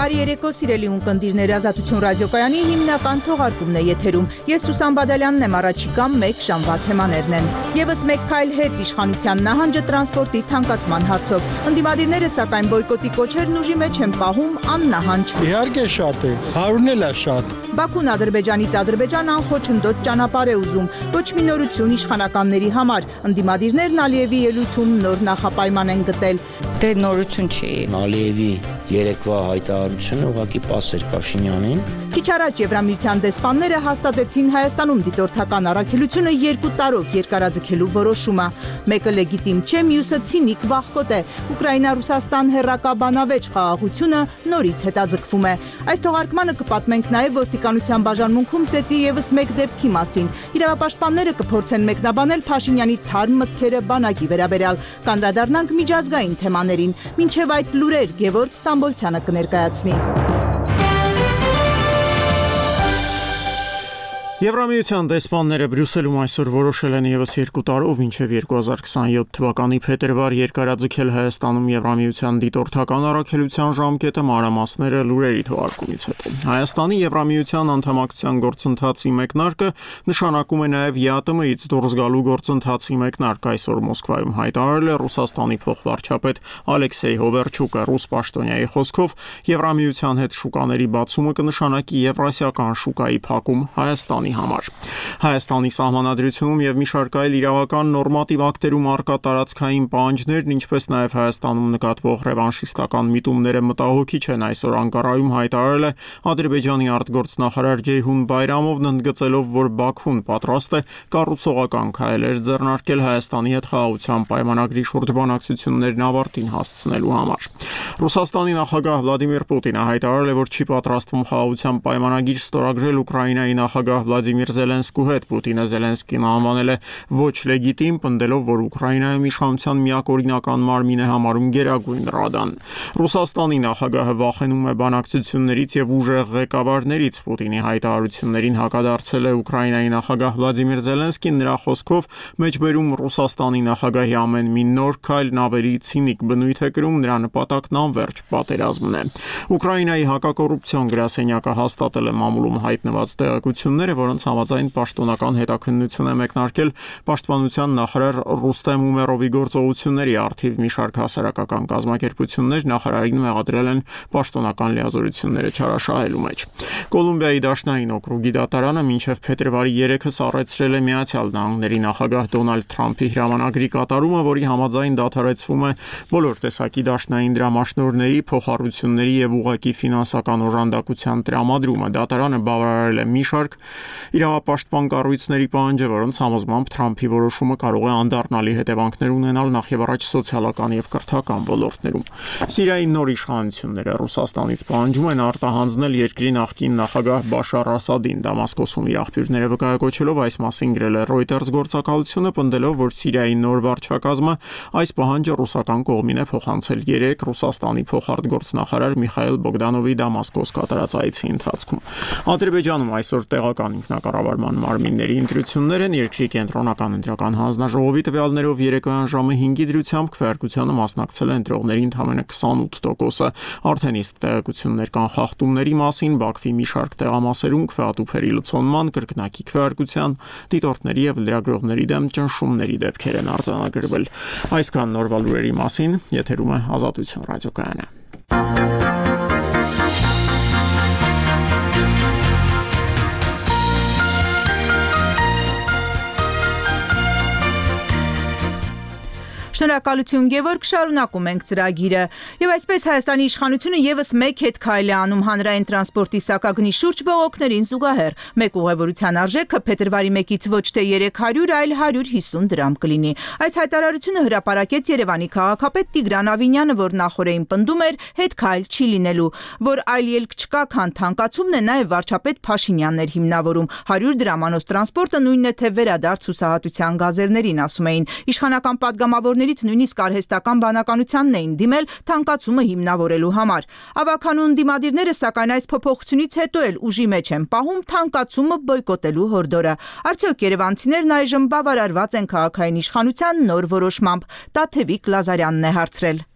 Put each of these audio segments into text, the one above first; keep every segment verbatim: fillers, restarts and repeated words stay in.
Բարի երեկո, սիրելի ունկնդիրներ, Ազատություն ռադիոկայանի հիմնական թողարկումն է եթերում։ Ես Սուսան Բադալյանն եմ, առաջիկա մեկ ժամվա թեմաներն են։ Եվս մեկ քայլ հետ իշխանության նահանջը տրանսպորտի թանկացման հարցով։ Ընդդիմադիրները սակայն բոյկոտի կոչերն ուժի մեջ են պահում աննահանջ։ Իհարկե շատ է, հարյուրն էլ է շատ։ Բաքուն Ադրբեջանից Ադրբեջան անխոչնդոտ ճանապարհ է ուզում, ոչ մի նորություն իշխանականների համար։ Ընդդիմադիրներն Ալիևի ելույթում նոր նախապայման են գտել։ Դե նորություն չի։ Ալիևի երեկվա հայտարարությունը ուղղակի պաս էր Փաշինյանին։ Քիչ առաջ Եվրամիության դեսպանները հաստատեցին Հայաստանում դիտորդական առաքելությունը երկու տարով երկարաձգելու որոշումը։ Մեկը լեգիտիմ չէ, մյուսը ցինիկ վախկոտ է։ Ուկրաինա-Ռուսաստան հեռակա բանավեճ խաղաղությունը նորից հետաձգվում է։ Այս թողարկմանը կպատմենք նաև ոստիկանության բաժանմունքում ծեծի ևս մեկ դեպքի մասին։ Իրավապաշտպանները կփորձեն մեկնաբանել Փաշինյանի թարմ մտքերը բանակի վերաբերյալ։ Կանդրադառնանք միջազգային թեմաներին։ Մինչև այդ լուրեր Գևորգ Ստամբոլցյանը կներկայացնի։ Եվրամիության դեսպանները Բրյուսելում այսօր որոշել են ևս երկու տարով մինչև երկու հազար քսաներորդ թվականի փետրվար երկարաձգել Հայաստանում Եվրամիության դիտորդական առաքելության ժամկետը մանրամասները լուրերի թողարկումից հետո։ Հայաստանի Եվրամիության անդամակցության գործընթացի մեկնարկը նշանակում է նաև ԵԱՏՄ-ից դուրս գալու գործընթացի մեկնարկ, այսօր Մոսկվայում հայտարարել է Ռուսաստանի փոխվարչապետ Ալեքսեյ Հովերչուկը։ Ռուս պաշտոնյայի խոսքով Եվրամիության հետ շուկաների բացումը կնշանակի եվրասիական շուկայի փակում Հայաստանի համար։ Հայաստանի սահմանադրությունում եւ մի շարք այլ իրավական նորմատիվ ակտերում արկա տարածքային պահանջներն, ինչպես նաեւ Հայաստանում նկատվող ռևանշիստական միտումները մտահոգիչ են, այսօր Անկարայում հայտարարել է Ադրբեջանի արտգործնախարար Ջեյհուն Բայրամովն, ընդգծելով, որ Բաքուն պատրաստ է կառուցողական քայլեր ձեռնարկել Հայաստանի հետ խաղաղության պայմանագրի շուրջ բանակցություններն ավարտին հասցնելու համար։ Ռուսաստանի նախագահ Վլադիմիր Պուտինը հայտարարել է, որ չի պատրաստվում խաղաղության պայմանագիր ստորագրել Ուկրաինայի նախագահ Վլադիմիր Զելենսկու հետ։ Պուտինը Զելենսկին անվանել է ոչ լեգիտիմ, պնդելով, որ Ուկրաինայում իշխանության միակողմական մարմին է համարում Գերագույն Ռադան։ Ռուսաստանի նախագահը վախենում է բանակցություններից եւ ուժեղ ղեկավարներից։ Պուտինի հայտարարություններին հակադարձել է Ուկրաինայի նախագահ Վլադիմիր Զելենսկին, նրա խոսքով մեջբերում Ռուսաստանի նախագահի ամեն մի նոր քայլն ավելի ցինիկ բնույթ է կրում, նրա նպատակն անվերջ պատերազմն է։ Ուկրաինայի հակակոռուպցիոն գրասենյակը հաստատել է մամուլում հայտնված տեղեկությունները, որոնց համաձայն պաշտոնական հետաքննություն է մեկնարկել պաշտպանության նախարար Ռուստեմ Ումերովի գործողությունների առթիվ։ Մի շարք հասարակական կազմակերպություններ նախարարին մեղադրել են պաշտոնական լիազորությունները չարաշահելու մեջ։ Կոլումբիայի դաշնային օկրուգի դատարանը մինչև փետրվարի երեքը սառեցրել է Միացյալ Նահանգների նախագահ Դոնալդ Թրամփի հրամանագրի կատարումը, որի համաձայն դադարեցվում է բոլոր տեսակի դաշնային դրամաշնորհների, փոխառությունների եւ ուղղակի ֆինանսական օժանդակության տրամադրումը։ Դատարանը բավարարել է մի շարք իրավապաշտպան կառույցների պահանջը, որոնց համոզմամբ Թրամփի որոշումը կարող է անդառնալի հետևանքներ ունենալ նախևառաջ սոցիալական եւ կրթական ոլորտներում։ Սիրիայի նոր իշխանությունները Ռուսաստանից պահանջում են արտահանձնել երկրի նախկին նախագահ Բաշար Ասադին։ Դամասկոսում իր աղբյուրները վկայակոչելով այս մասին գրել է Reuters գործակալությունը, պնդելով, որ Սիրիայի նոր վարչակազմը այս պահանջը ռուսական կողմին է փոխանցել երեք Ռուսաստանի փոխարտգործնախարար Միխայել Բոգդանովի Դամասկոս կատարած այցի ընթացքում։ Ադրբեջանում այսօր տեղական ինքնակառավարման մարմինների ընտրություններ են։ Երկրի կենտրոնական ընտրական հանձնաժողովի տվյալներով երեկոյան ժամը հինգի դրությամբ քվեարկությանը մասնակցել են ընտրողների ընդամենը քսանութ տոկոսը։ Արդեն իսկ տեղեկություններ կան խախտումների մասին։ Բաքվի մի շարք տեղամասերում քվեատուփերի լցոնման, կրկնակի քվեարկության, դիտորդների եւ լրագրողների դեմ ճնշումների դեպքեր են արձանագրվել։ Այսքան նորվա լուրերի մասին, եթերում է Ազատություն ռադիոկայանը։ Շնորհակալություն Գևորգ, շարունակում ենք ծրագիրը։ Եվ այսպես Հայաստանի իշխանությունը եւս մեկ հետ քայլ է անում հանրային տրանսպորտի սակագնի շուրջ բողոքներին զուգահեռ։ Մեկ ուղևորության արժեքը փետրվարի մեկից ոչ թե երեք հարյուր, այլ հարյուր հիսուն դրամ կլինի։ Այս հայտարարությունը հրապարակեց Երևանի քաղաքապետ Տիգրան Ավինյանը, որ նախորդին պնդում էր հետ քայլ չի լինելու, որ այլ ելք չկա, քան թանկացումն է, նաև վարչապետ Փաշինյանն էր հիմնավորում։ հարյուր դրամանոց տրանսպորտը նույնն է թե վերադարձ հուսահատության գազերներին, ասում էին։ Իշխանական պատգամավորներից նույնիսկ արհեստական բանականությանն էին դիմել թանկացումը հիմնավորելու համար։ Ավագանուն դիմադիրները սակայն այս փոփոխությունից հետո էլ ուժի մեջ են պահում թանկացումը բոյկոտելու հորդորը։ Արդյոք երևանցիներն այժմ բավարարված են քաղաքային իշխանության նոր որոշմամբ։ Տաթևիկ Լազարյանն է հարցրել։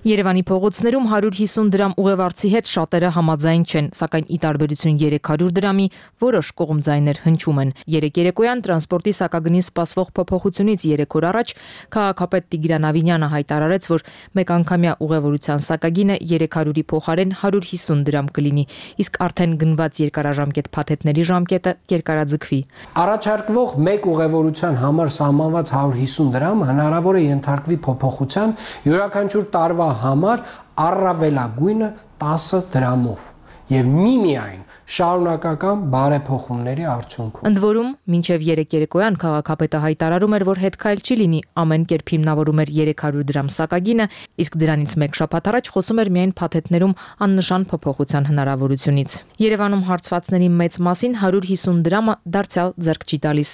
Երևանի փողոցներում հարյուր հիսուն դրամ ուղևորցի հետ շատերը համաձայն չեն, սակայն ի տարբերություն երեք հարյուր դրամի որոշ կողմձայներ հնչում են։ Երեք երեկոյան տրանսպորտի սակագնին սպասվող փոփոխությունից երեք օր առաջ քաղաքապետ Տիգրան Ավինյանը հայտարարեց, որ մեկ անգամյա ուղևորության սակագինը երեք հարյուրի փոխարեն հարյուր հիսուն դրամ կլինի, իսկ արդեն գնված երկարաժամկետ փաթեթների ժամկետը կերկարաձգվի։ Առաջարկվող մեկ ուղևորության համար սահմանված հարյուր հիսուն դրամ հնարավոր է ենթարկվի փոփոխության յուրաքանչյուր տարվա համար առավելագույնը տասը դրամով եւ միմիայն շարունակական բարեփոխումների արդյունքում։ Ընդ որում, մինչև երեք երեկոյան քաղաքապետը հայտարարում էր, որ հետքայլ չի լինի, ամեն կերպ հիմնավորում էր երեք հարյուր դրամ սակագինը, իսկ դրանից մեկ շաբաթ առաջ խոսում էր միայն փաթեթներում աննշան փոփոխության հնարավորությունից։ Երևանում հարցվածների մեծ մասին հարյուր հիսուն դրամը դարձյալ ձեռք չի տալիս։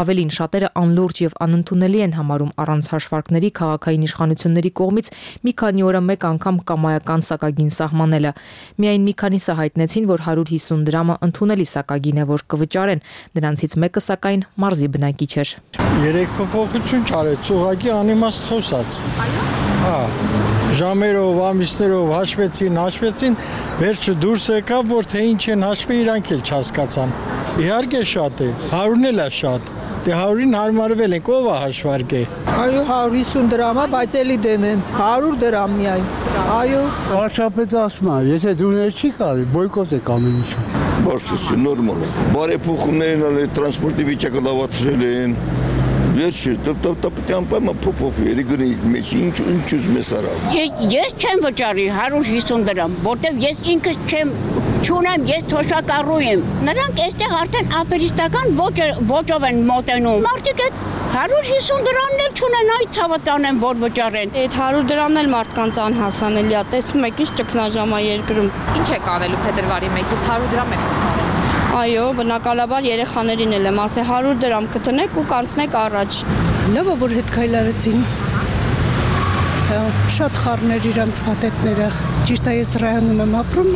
Ավելին, շատերը անլուրջ եւ անընդունելի են համարում առանց հաշվարկների քաղաքային իշխանությունների կողմից մի քանի օրը մեկ անգամ կամայական սակագին սահմանելը։ Միայն մի քանիսը հայտնեցին, որ հարյուր հիսուն դրամը ընդունելի սակագին է, որ կվճարեն, դրանցից մեկը սակայն մարզի բնակիչ էր։ Երեք փոփոխություն չարեց, ուղղակի անիմաստ խոսաց։ Այո։ Հա, ժամերով, ամիսներով հաշվեցին, հաշվեցին, վերջը դուրս եկավ, որ թե ինչ են հաշվի, իրանք էլ չհասկացան։ Իհարկե շատ է, հարյուրն էլ է շատ։ Դե հարյուրին հարմարվել ենք, ով է հաշվարկե։ Այո, հարյուր հիսուն դրամ է, բայց էլի դեմ եմ, հարյուր դրամ միայն։ Այո, վարչապետը ասում է, եթե դուներ չի կարի, բոյկոտ եք ամեն ինչը։ Բարձր, նորմալ է։ Բարեփոխումներն ալ տրանսպորտի վիճակը լավացրել են։ Վերջը պետք է անպայման փոփոխվի, գնի մեջ ինչ ինչ ուզում ես արավ։ Ես չեմ վճարի հարյուր հիսուն դրամ, որտեվ ես ինքս չեմ չունեմ, ես թոշակառու եմ։ Նրանք այստեղ արդեն ապերիստական ոճով են մոտենում։ Մարդիկ այդ հարյուր հիսուն դրամն էլ չունեն, այ ցավը տանեն, որ վճարեն։ Այդ հարյուր դրամն էլ մարդկանց անհասանելի է, տեսնում եք ինչ ճգնաժամ է երկրում։ Ինչ եք անելու փետրվարի մեկից հարյուր դրամ եք կտրել։ Այո, բնակալաբար երեխաներին էլ եմ ասել հարյուր դրամ կտնեք ու կանցնեք առաջ։ Լավ է, որ հետ քայլարեցին։ Շատ խառներ իրանց փաթեթները։ Ճիշտ է, ես Ռայանում եմ ապրում,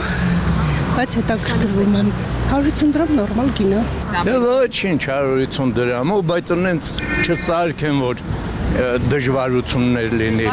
բայց հետաքրքրվում եմ։ հարյուր հիսուն դրամ նորմալ գին է։ Դե ոչինչ հարյուր հիսուն դրամ, բայց այնց չսարքեն, որ դժվարություններ լինի։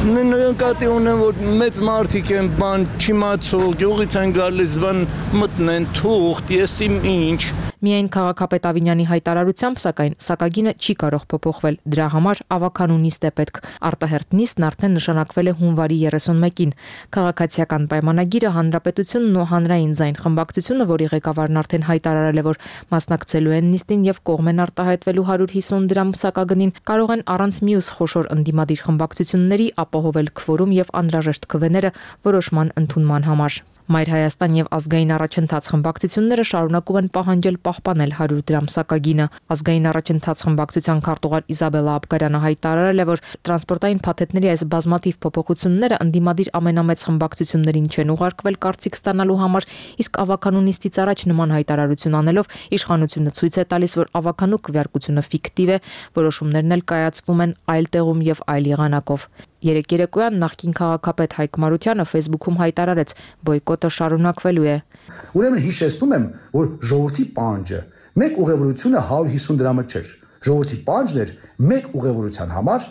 Նկատի ունեմ, որ մեծ մարդիկ են, բան չիմացող, գյուղից են գալիս, բան մտնեն, թուղթ, ես իմ ինչ։ Միայն քաղաքապետ Ավինյանի հայտարարությամբ, սակայն սակագինը չի կարող փոփոխվել։ Դրա համար ավականու նիստ է պետք։ Արտահերթ նիստն արդեն նշանակվել է հունվարի երեսունմեկին։ Քաղաքացիական պայմանագիրը Հանրապետությունն ու Հանրային ձայն խմբակցությունը, որի ղեկավարն արդեն հայտարարել է, որ մասնակցելու են նիստին եւ կողմ են արտահայտվելու հարյուր հիսուն դրամ սակագնին, կարող են առանց մյուս խոշոր ընդդիմադիր խմբակցությունների ապահովել քվորում եւ անհրաժեշտ քվեները որոշման ընդունման համար։ Մայր Հայաստան եւ ազգային առաջընթաց խմբակցությունները շարունակում են պահանջել պահպանել հարյուր դրամ սակագինը։ Ազգային առաջընթաց խմբակցության քարտուղար Իզաբելլա Աբգարյանը հայտարարել է, որ տրանսպորտային փաթեթների այս բազմաթիվ փոփոխությունները ընդդիմադիր ամենամեծ խմբակցություններին չեն ուղարկվել կարծիք ստանալու համար, իսկ ավականու նիստից առաջ նման հայտարարություն անելով իշխանությունը ցույց է տալիս, որ ավականու քվեարկությունը ֆիկտիվ է, որոշումներն էլ կայացվում են այլ տեղում եւ այլ եղանակով։ Երեք երեկոյան նախկին քաղաքապետ Հայկ Մարությանը Facebook-ում հայտարարեց, բոյկոտը շարունակվելու է։ Ուրեմն հիշեցնում եմ, որ ժողովրդի պահանջը մեկ ուղևորությունը հարյուր հիսուն դրամը չէր։ Ժողովրդի պահանջն էր մեկ ուղևորության համար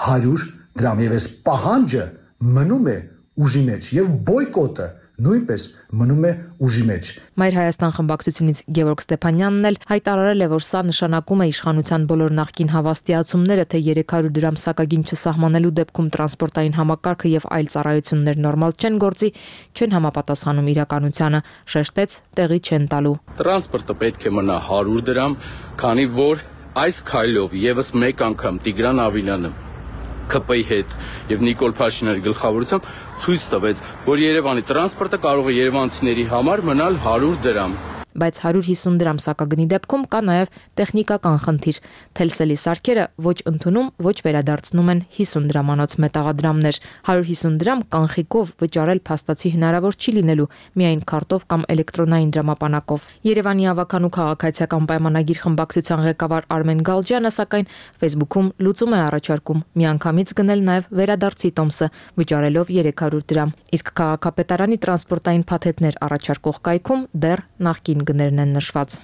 հարյուր դրամ եւ այս պահանջը մնում է ուժի մեջ եւ բոյկոտը նույնպես մնում է ուժի մեջ։ Մայր Հայաստան խմբակցությունից Գևորգ Ստեփանյանն էլ հայտարարել է, որ սա նշանակում է իշխանության բոլոր նախկին հավաստիացումները, թե երեք հարյուր դրամ սակագին չսահմանելու դեպքում տրանսպորտային համակարգը եւ այլ ծառայություններ նորմալ չեն գործի, չեն համապատասխանում իրականությանը, շեշտեց, տեղի չեն տալու։ Տրանսպորտը պետք է մնա հարյուր դրամ, քանի որ այս քայլով եւս մեկ անգամ Տիգրան Ավինյանը K P-ի հետ եւ Նիկոլ Փաշինյանի գլխավորությամբ ցույց տվեց, որ Երևանի տրանսպորտը կարող է երևանցիների համար մնալ հարյուր դրամ։ Բայց հարյուր հիսուն դրամ սակագնի դեպքում կա նաև տեխնիկական խնդիր։ Թելսելի սարքերը ոչ ընդունում, ոչ վերադարձնում են հիսուն դրամանոց մետաղադրամներ։ հարյուր հիսուն դրամ կանխիկով վճարել փաստացի հնարավոր չի լինելու, միայն քարտով կամ էլեկտրոնային դրամապանակով։ Երևանի ավականու քաղաքացիական պայմանագիր խմբակցության ղեկավար Արմեն Գալջյանը սակայն Facebook-ում լուծում է առաջարկում միանգամից գնել նաև վերադարձի տոմսը, վճարելով երեք հարյուր դրամ։ Իսկ քաղաքապետարանի տրանսպորտային փաթեթներ առաջարկող կայքում դեռ նախկին գներն են նշված։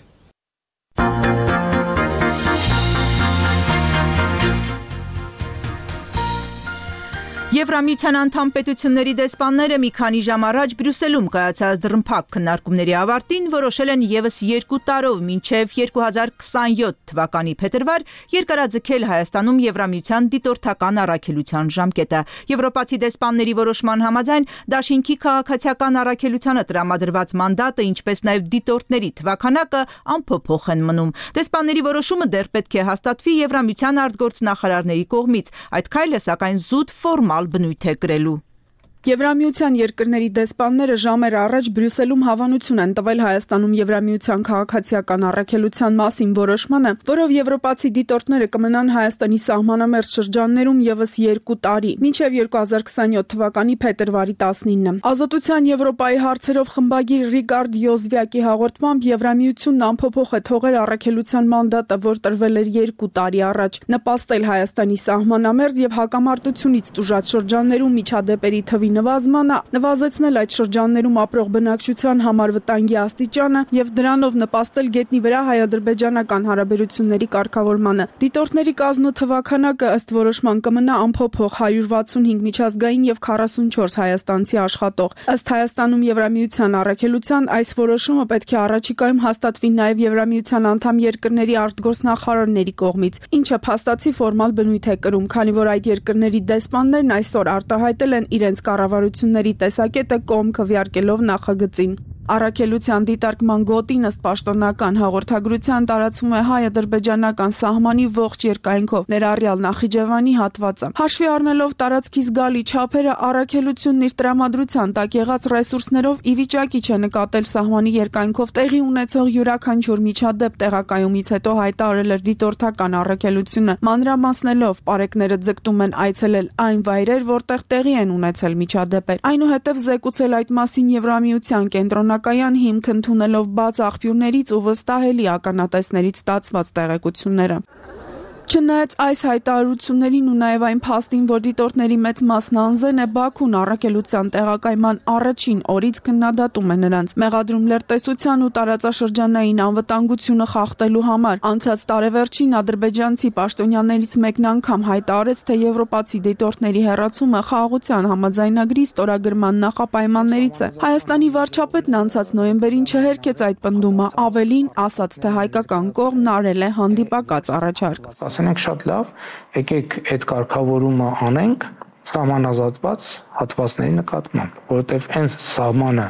Եվրամիության անդամ պետությունների դեսպանները մի քանի ժամ առաջ Բրյուսելում կայացած դռնփակ քննարկումների ավարտին որոշել են ևս երկու տարով մինչև երկու հազար քսանյոթ թվականի փետրվար երկարաձգել Հայաստանում Եվրամիության դիտորդական առաքելության ժամկետը։ Եվրոպացի դեսպանների որոշման համաձայն դաշինքի քաղաքացիական առաքելությանը տրամադրված մանդատը, ինչպես նաև դիտորդների թվականակը անփոփոխ են մնում։ Դեսպանների որոշումը դեռ պետք է հաստատվի Եվրամիության արտգործնախարարների կողմից։ Այդ քայլը սակայն զուտ ֆորմալ բնույթ է կրելու։ Եվրամիության երկրների դեսպանները ժամեր առաջ Բրյուսելում հավանություն են տվել Հայաստանում Եվրամիության քաղաքացիական առաքելության մասին որոշմանը, որով եվրոպացի դիտորդները կմնան Հայաստանի սահմանամերձ շրջաններում ևս երկու տարի, մինչև երկու հազար քսանյոթ թվականի փետրվարի տասնինը։ Ազատության Եվրոպայի հարցերով խմբագիր Ռիկարդ Յոզվյակի հաղորդմամբ Եվրամիությունն անփոփոխ է թողել առաքելության մանդատը, որ տրվել էր երկու տարի առաջ, նպաստել Հայաստանի սահմանամերձ եւ հակամարտությունից տուժած շրջաններում միջադեպերի թվի նվազմանը, նվազեցնել այդ շրջաններում ապրող բնակչության համար վտանգի աստիճանը եւ դրանով նպաստել գետնի վրա հայ-ադրբեջանական հարաբերությունների կարգավորմանը։ Դիտորդների կազմը թվականակը ըստ որոշման կմնա անփոփոխ հարյուր վաթսունհինգ միջազգային եւ քառասունչորս հայաստանցի աշխատող։ Ըստ Հայաստանում Եվրամիության առաքելության այս որոշումը պետք է առաջիկայում հաստատվի նաեւ Եվրամիության անդամ երկրների արտգործնախարարների կողմից, ինչը փաստացի ֆորմալ բնույթ է կրում, քանի որ այդ երկրների դեսպաններն այսօր արտահայտել են իրենց կառավարությունների տեսակետը կողմ քվեարկելով նախագծին։ Առաքելության դիտարկման գոտին ըստ պաշտոնական հաղորդագրության տարածվում է հայ-ադրբեջանական սահմանի ողջ երկայնքով, ներառյալ Նախիջևանի հատվածը։ Հաշվի առնելով տարածքի զգալի չափերը, առաքելությունն իր տրամադրության տակ եղած ռեսուրսներով ի վիճակի չէ նկատել սահմանի երկայնքով տեղի ունեցող յուրաքանչյուր միջադեպ տեղակայումից հետո հայտարարել էր դիտորդական առաքելությունը, մանրամասնելով պարեկները ձգտում են այցելել այն վայրեր, որտեղ տեղի են ունեցել միջադեպեր։ Այնուհետև զեկուցել այդ մասին Եվրամիության կենտրոնական Կայան հիմք ընդունելով բաց աղբյուրներից ու վստահելի ականատեսներից ստացված տեղեկությունները։ Չնայած այս հայտարարություններին ու նաև այն փաստին, որ դիտորդների մեծ մասն անզեն է, Բաքուն առաքելության տեղակայման առաջին օրից քննադատում է նրանց։ Մեղադրում լրտեսության ու տարածաշրջանային անվտանգությունը խախտելու համար անցած տարեվերջին ադրբեջանցի պաշտոնյաներից մեկն անգամ հայտարարեց, թե եվրոպացի դիտորդների հեռացումը խաղաղության համաձայնագրի ստորագրման նախապայմաններից է։ Հայաստանի վարչապետն անցած նոյեմբերին չհերքեց այդ պնդումը, ավելին ասաց, թե հայկական կողմն արել է հանդիպակաց առաջարկ։ Ասենք շատ լավ, եկեք այդ կարգավորումը անենք սահմանազատված հատվածների նկատմամբ, որովհետև այն սահմանը,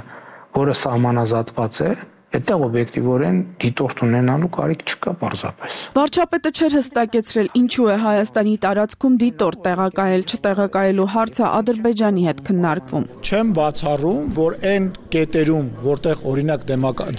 որը սահմանազատված է, այդտեղ օբյեկտիվորեն դիտորդ ունենալու կարիք չկա պարզապես։ Վարչապետը չէր հստակեցրել, ինչու է Հայաստանի տարածքում դիտորդ տեղակայել, չտեղակայելու հարցը Ադրբեջանի հետ քննարկվում։ Չեմ բացառում, որ այն կետերում, որտեղ օրինակ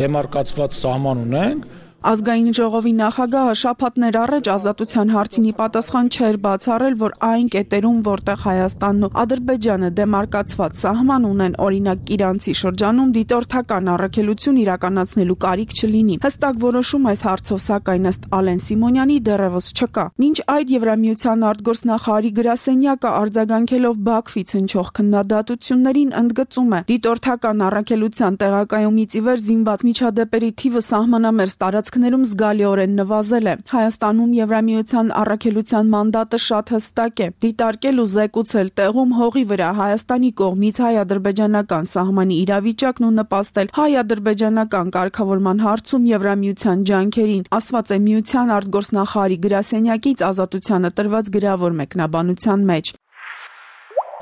դեմարկացված սահման ունենք, Ազգային ժողովի նախագահը շաբաթներ առաջ ազատության հարցին ի պատասխան չէր բացառել, որ այն կետերում, որտեղ Հայաստանն ու Ադրբեջանը դեմարկացված սահման ունեն, օրինակ Իրանցի շրջանում դիտորդական առաքելություն իրականացնելու կարիք չլինի։ Հստակ որոշում այս հարցով սակայն ըստ Ալեն Սիմոնյանի դեռևս չկա։ Մինչ այդ Եվրամիության արտգործնախարարի գրասենյակը արձագանքելով Բաքվից հնչող քննադատություններին ընդգծում է, դիտորդական առաքելության տեղակայումից ի վեր զինված միջադեպերի թիվը սահմանամերձ տարած ներում զգալիորեն նվազել է։ Հայաստանում Եվրամիության առաքելության մանդատը շատ հստակ է՝ դիտարկել ու զեկուցել տեղում հողի վրա Հայաստանի կողմից հայ-ադրբեջանական սահմանի իրավիճակն ու նպաստել հայ-ադրբեջանական կարգավորման հարցում Եվրամիության ջանքերին, ասված է Միության արտգործնախարարի գրասենյակից Ազատությանը տրված գրավոր մեկնաբանության մեջ։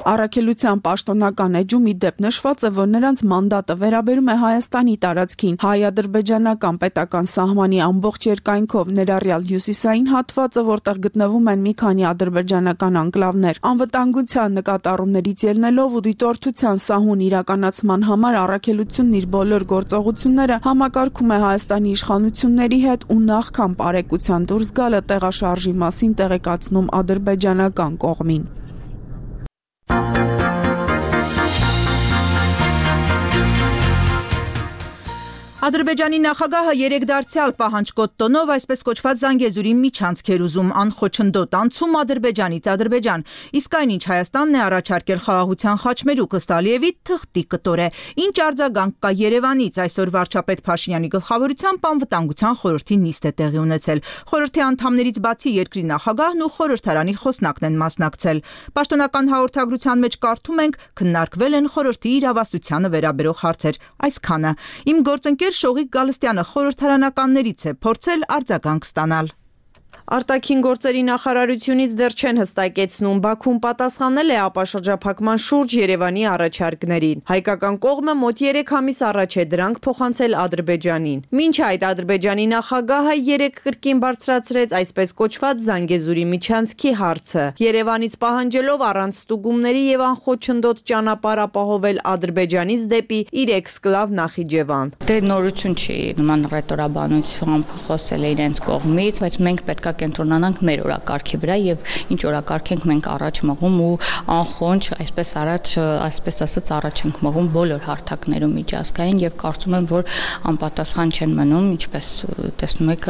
Առաքելության պաշտոնական էջում ի դեպ նշված է, որ նրանց մանդատը վերաբերում է Հայաստանի տարածքին, հայ-ադրբեջանական պետական սահմանի ամբողջ երկայնքով, ներառյալ հյուսիսային հատվածը, որտեղ գտնվում են մի քանի ադրբեջանական անկլավներ։ Անվտանգության նկատառումներից ելնելով ու դիտորդության սահուն իրականացման համար առաքելությունն իր բոլոր գործողությունները համակարգում է Հայաստանի իշխանությունների հետ ու նախքան պարեկության դուրս գալը տեղաշարժի մասին տեղեկացնում ադրբեջանական կողմին։ Ադրբեջանի նախագահը երեք դարձյալ պահանջկոտ տոնով այսպես կոչված Զանգեզուրի միջանցք էր ուզում անխոչնդոտ անցում Ադրբեջանից Ադրբեջան, իսկ այնինչ Հայաստանն է առաջարկել խաղաղության խաչմերուկ ըստ Ալիևի թղթի կտոր է։ Ինչ արձագանք կա Երևանից, այսօր վարչապետ Փաշինյանի գլխավորությամբ անվտանգության խորհրդի նիստ է տեղի ունեցել։ Խորհրդի անդամներից բացի երկրի նախագահն ու խորհրդարանի խոսնակն են մասնակցել։ Պաշտոնական հաղորդագրության մեջ կարդում ենք, քննարկվել են խորհրդի իրավասությանը վերաբերող հարցեր, այսքանը։ Իմ գործընկեր Շողիկ Գալստյանը խորհրդարանականներից է փորձել արձագանք ստանալ։ Արտաքին գործերի նախարարությունից դեռ չեն հստակեցնում Բաքուն պատասխանել է ապաշրջափակման շուրջ Երևանի առաջարկներին։ Հայկական կողմը մոտ երեք ամիս առաջ է դրանք փոխանցել Ադրբեջանին։ Մինչ այդ Ադրբեջանի նախագահը երեք կրկին բարձրացրեց այսպես կոչված Զանգեզուրի միջանցքի հարցը, Երևանից պահանջելով առանց ստուգումների եւ անխոչնդոտ ճանապարհ ապահովել Ադրբեջանից դեպի իր էքսկլավ Նախիջևան։ Դե նորություն չի, նման ռետորաբանությամբ խոսել է իրենց կողմից, բայց մենք պետք է կենտրոնանանք մեր օրակարգի վրա եւ ինչ օրակարգ ենք մենք առաջ մղում ու անխոնջ այսպես առաջ այսպես ասած առաջ ենք մղում բոլոր հարթակներում միջազգային եւ կարծում եմ որ անպատասխան չեն մնում, ինչպես տեսնում եք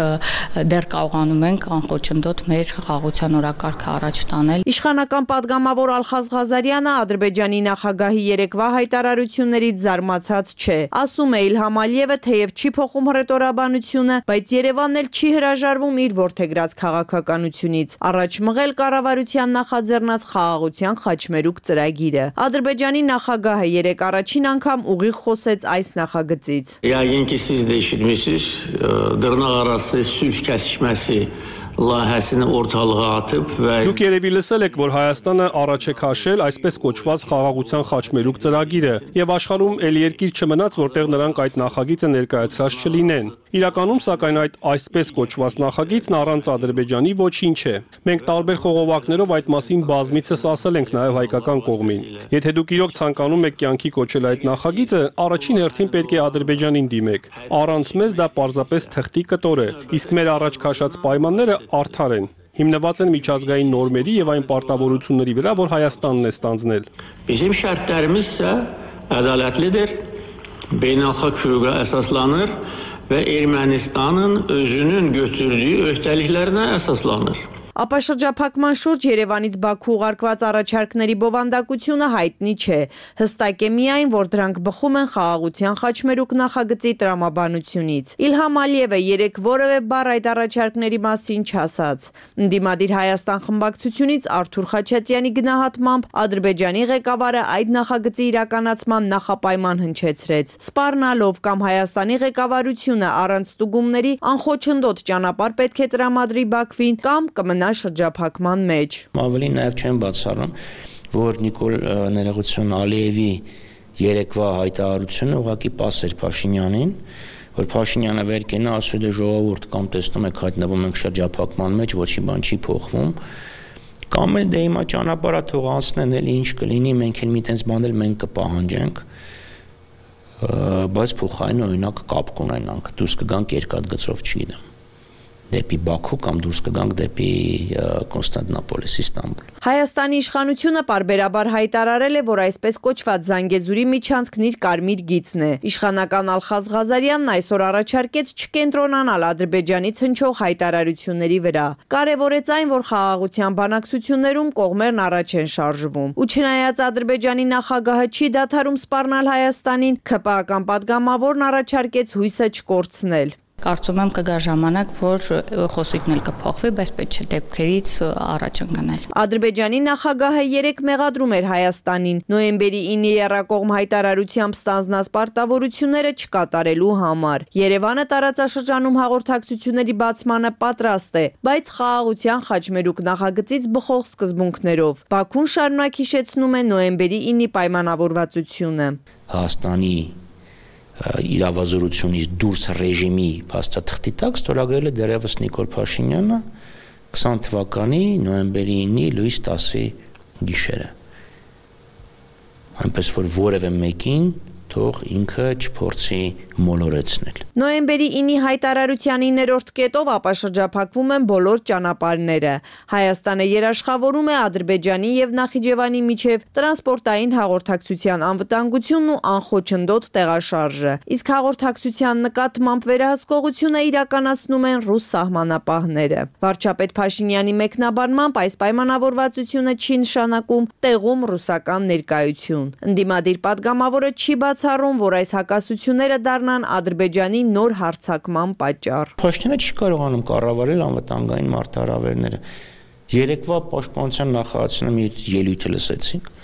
դեռ կարողանում ենք անխոչնդոտ մեր խաղաղության օրակարգը առաջ տանել։ Իշխանական падգամավոր Ալխազ Ղազարյանը Ադրբեջանի նախագահի երեկվա հայտարարություններից զարմացած չէ։ Ասում է Իլհամ Ալիևը թեև չի փոխում ռետորաբանությունը, բայց Երևանն էլ չի հրաժարվում իր որդեգրած քաղաքականությունից, առաջ մղել կառավարության նախաձեռնած խաղաղության խաչմերուկ ծրագիրը։ Ադրբեջանի նախագահը երեք առաջին անգամ ուղիղ խոսեց այս նախագծից։ Yəqin ki siz də eşitmişsiniz, dırnaqarası sülh kəsişməsi layihəsini ortalığa atıb və Դուք երևի լսել եք, որ Հայաստանը առաջ է քաշել այսպես կոչված խաղաղության խաչմերուկ ծրագիրը, եւ աշխարհում ել երկիր չմնաց, որտեղ նրանք այդ նախագիծը ներկայացրած չլինեն։ Իրականում, սակայն այդ այսպես կոչված նախագիծն առանց Ադրբեջանի ոչինչ է։ Մենք տարբեր խողովակներով այդ մասին բազմիցս ասել ենք նաև հայկական կողմին։ Եթե դուք իրոք ցանկանում եք կյանքի կոչել այդ նախագիծը, առաջին հերթին պետք է Ադրբեջանին դիմեք։ Առանց մեզ դա պարզապես թղթի կտոր է, իսկ մեր առաջ քաշած պայմանները արդար են, հիմնված են միջազգային նորմերի եւ այն պարտավորությունների վրա, որ Հայաստանն է ստանձնել։ Bizim şərtlərimiz isə ədalətlidir, beynəlxalq hüquqa əsaslanır və Ermənistanın özünün götürdüyü öhdəliklərinə əsaslanır։ Ապաշրջափակման շուրջ Երևանից Բաքու ուղարկված առաջարկների բովանդակությունը հայտնի չէ։ Հստակ է միայն, որ դրանք բխում են խաղաղության խաչմերուկ նախագծի տրամաբանությունից։ Իլհամ Ալիևը երեք որևէ բառ այդ առաջարկների մասին չասաց։ Ընդդիմադիր Հայաստան խմբակցությունից Արթուր Խաչատրյանի գնահատմամբ Ադրբեջանի ղեկավարը այդ նախագծի իրականացման նախապայման հնչեցրեց, սպառնալով կամ Հայաստանի ղեկավարությունը առանց ստուգումների անխոչնդոտ ճանապարհ պետք է տրամադրի Բաքվին կամ կմնա շրջափակման մեջ։ Ավելի նաև չեմ բացառում, որ Նիկոլ ներողություն Ալիևի երեկվա հայտարարությունը ուղղակի պաս էր Փաշինյանին, որ Փաշինյանը վեր կենա ասում է ժողովուրդ կամ տեսնում եք հայտնվում ենք շրջափակման մեջ, ոչի բան չի փոխվում, կամ էլ դե հիմա ճանապարհը թող անցնեն, էլի ինչ կլինի, մենք էլ մի տես բան էլ մենք կպահանջենք, բայց փոխային օրինակ կապ կունենանք, դուրս կգանք երկաթգծով չգիտեմ։ Դեպի Բաքու կամ դուրս կգանք դեպի Կոնստանտինոպոլ, Իստանբուլ։ Հայաստանի իշխանությունը պարբերաբար հայտարարել է, որ այսպես կոչված Զանգեզուրի միջանցքն իր կարմիր գիծն է։ Իշխանական Ալխազ Ղազարյանն այսօր առաջարկեց չկենտրոնանալ Ադրբեջանից հնչող հայտարարությունների վրա։ Կարևորեց այն, որ խաղաղության բանակցություններում կողմերն առաջ են շարժվում։ Ու չնայած Ադրբեջանի նախագահը չի դադարում սպառնալ Հայաստանին, ՔՊԱ-ական падգամավորն առաջարկեց հույսը չկորցնել։ Կարծում եմ կգա ժամանակ, որ խոսիկն էլ կփոխվի, բայց պետք չէ դեպքերից առաջ ընկնել։ Ադրբեջանի նախագահը երեք մեղադրում էր Հայաստանին նոյեմբերի ինը եռակողմ հայտարարությամբ ստանձնած պարտավորությունները չկատարելու համար։ Երևանը տարածաշրջանում հաղորդակցությունների բացմանը պատրաստ է, բայց խաղաղության խաչմերուկ նախագծից բխող սկզբունքներով։ Բաքուն շարունակ հիշեցնում է նոյեմբերի ինի պայմանավորվածությունը։ Հայաստանի իրավազորությունից դուրս ռեժիմի փաստաթղթի տակ ստորագրել է դեռևս Նիկոլ Փաշինյանը քսան թվականի նոյեմբերի ինը լույս տասի գիշերը։ Այնպես որ որևէ մեկին թող ինքը չփորձի մոլորեցնել։ Նոյեմբերի ինի հայտարարության իններորդ կետով ապաշրջափակվում են բոլոր ճանապարհները։ Հայաստանը երաշխավորում է Ադրբեջանի եւ Նախիջևանի միջև տրանսպորտային հաղորդակցության անվտանգությունն ու անխոչնդոտ տեղաշարժը։ Իսկ հաղորդակցության նկատմամբ վերահսկողությունը իրականացնում են ռուս սահմանապահները։ Վարչապետ Փաշինյանի մեկնաբանմամբ այս պայմանավորվածությունը չի նշանակում տեղում ռուսական ներկայություն։ Ընդդիմադիր պատգամավորը չի բացառում, որ այս հակասությունները դառնան Ադրբեջանի նոր հարձակման պատճառ։ Փաշինյանը չի կարողանում կառավարել անվտանգային մարտահրավերները։ Երեկվա պաշտպանության նախարարությունը մի ելույթ լսեցինք։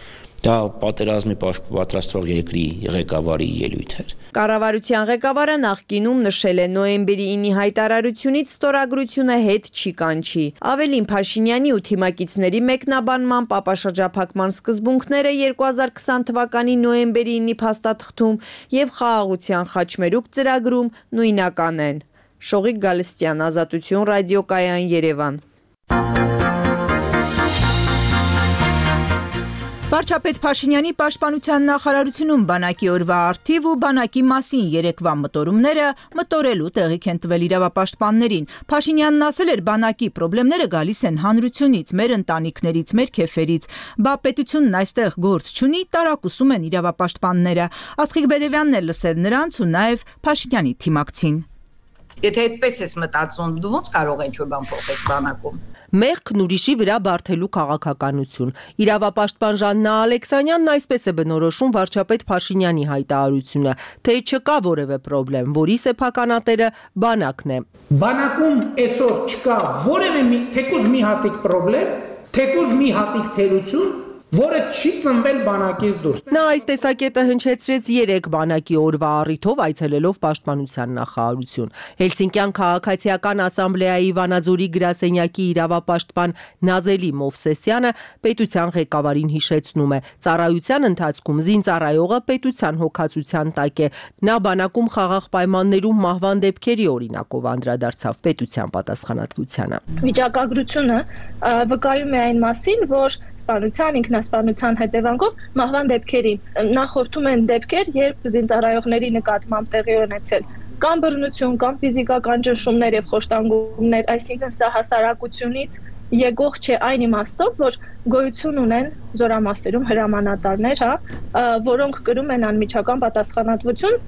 Դա պատերազմի պատրաստվող երկրի ղեկավարի ելույթ էր։ Կառավարության ղեկավարը նախկինում նշել է նոյեմբերի ինի հայտարարությունից ստորագրությունը հետ չի կանչի։ Ավելին Փաշինյանի ու թիմակիցների մեկնաբանմամբ ապաշրջափակման սկզբունքները երկու հազար քսան թվականի նոյեմբերի ինի փաստաթղթում եւ խաղաղության խաչմերուկ ծրագրում նույնական են։ Շողիկ Գալստյան, Ազատություն, ռադիոկայան, Երևան։ Վարչապետ Փաշինյանի պաշտպանության նախարարությունում բանակի օրվա արդիվ ու բանակի մասին երեկվա մտորումները մտորելու տեղիք են տվել իրավապաշտպաններին։ Փաշինյանն ասել էր, բանակի խնդիրները գալիս են հանրությունից, մեր ընտանիքներից, մեր քեֆերից։ Բա պետությունն այստեղ գործ չունի, տարակուսում են իրավապաշտպանները։ Աստղիկ Բեդևյանն էլ լսել նրանց ու նաև Փաշինյանի թիմակցին։ Եթե այդպես ես մտածում, դու ո՞նց կարող ես ինչ-որ բան փոխես բանակում։ Մեղքն ուրիշի վրա բարթելու քաղաքականություն։ Իրավապաշտպան Ժաննա Ալեքսանյանն այսպես է բնորոշում վարչապետ Փաշինյանի հայտարարությունը, թե չկա որևէ խնդրեմ, որի սեփականատերը բանակն է։ Բանակում այսօր չկա որևէ մի թեկուզ մի հատիկ խնդրեմ, թեկուզ մի հատիկ թերություն, որը չի ծնվել բանակից դուրս։ Նա այս տեսակետը հնչեցրեց երեք բանակի օրվա առիթով այցելելով պաշտպանության նախարարություն։ Հելսինկյան քաղաքացիական ասամբլեայի Վանաձորի գրասենյակի իրավապաշտպան Նազելի Մովսեսյանը պետության ղեկավարին հիշեցնում է. ծառայության ընթացքում զինծառայողը պետության հոգացության տակ է։ Նա բանակում խաղաղ պայմաններում մահվան դեպքերի օրինակով անդրադարձավ պետության պատասխանատվությանը։ Վիճակագրությունը վկայում է այն մասին, որ սպանության, ինքնասպանության հետևանքով մահվան դեպքերին նախորդում են դեպքեր, երբ զինծառայողների նկատմամբ տեղի ունեցել կամ բռնություն, կամ ֆիզիկական ճնշումներ եւ խոշտանգումներ, այսինքն սա հասարակությունից եկող չէ այն իմաստով, որ գոյություն ունեն զորամասերում հրամանատարներ, հա, որոնք կրում են անմիջական պատասխանատվություն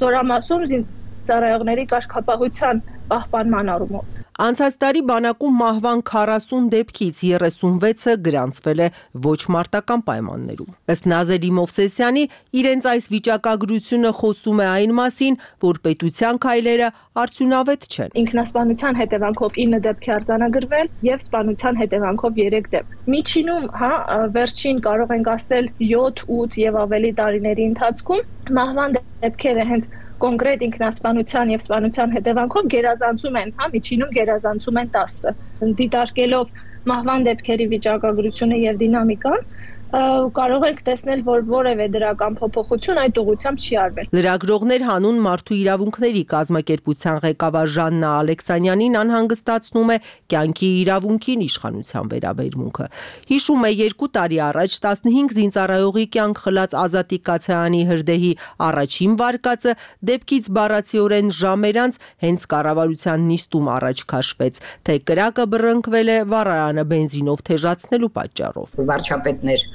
զորամասում զինծառայողների կարգապահության պահպանման առումով։ Անցած տարի բանակում մահվան քառասուն դեպքից երեսունվեցը գրանցվել է ոչ մարտական պայմաններում։ Ըստ Նազելի Մովսեսյանի, իրենց այս վիճակագրությունը խոսում է այն մասին, որ պետության քայլերը արդյունավետ չեն։ Ինքնասպանության հետևանքով ինը դեպք է արձանագրվել եւ սպանության հետևանքով երեք դեպք։ Միջինում, հա, վերջին կարող ենք ասել յոթ, ութ եւ ավելի տարիների ընթացքում մահվան դեպքերը հենց կոնկրետ ինքնասպանության եւ սպանության հետևանքով գերազանցում են, հա, միջինում գերազանցում են տասը։ Դիտարկելով մահվան դեպքերի վիճակագրությունը եւ դինամիկան, կարող ենք տեսնել, որ որևէ դրական փոփոխություն այդ ուղղությամբ չի արվել։ Լրագրողներ հանուն մարդու իրավունքների կազմակերպության ղեկավար Ժաննա Ալեքսանյանին անհանգստացնում է կյանքի իրավունքին իշխանության վերաբերմունքը։ Հիշում է երկու տարի առաջ տասնհինգ զինծառայողի կյանք խլած Ազատիկ Կացայանի հրդեհի առաջին վարկածը դեպքից բառացիորեն ժամեր անց հենց կառավարության նիստում առաջ քաշվեց, թե կրակը բռնկվել է վառարանը բենզինով թեժացնելու պատճառով։ Վարչապետներ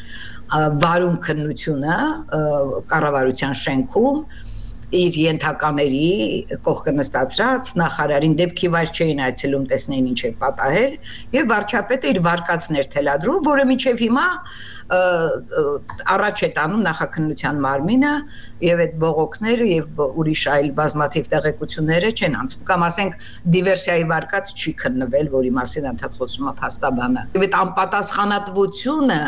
վարում քննությունը կառավարության շենքում իր ենթակաների կողքը նստածրած նախարարին դեպքի վայր չէին այցելում տեսնեին ինչ է պատահել եւ վարչապետը իր վարկածներ թելադրում, որը մինչեւ հիմա առաջ է տանում նախաքննության մարմինը եւ այդ բողոքները եւ ուրիշ այլ բազմաթիվ տեղեկությունները չեն անցնում կամ ասենք դիվերսիայի վարկած չի քննվել, որի մասին ընդհանուր խոսում է փաստաբանը։ Եվ այդ անպատասխանատվությունը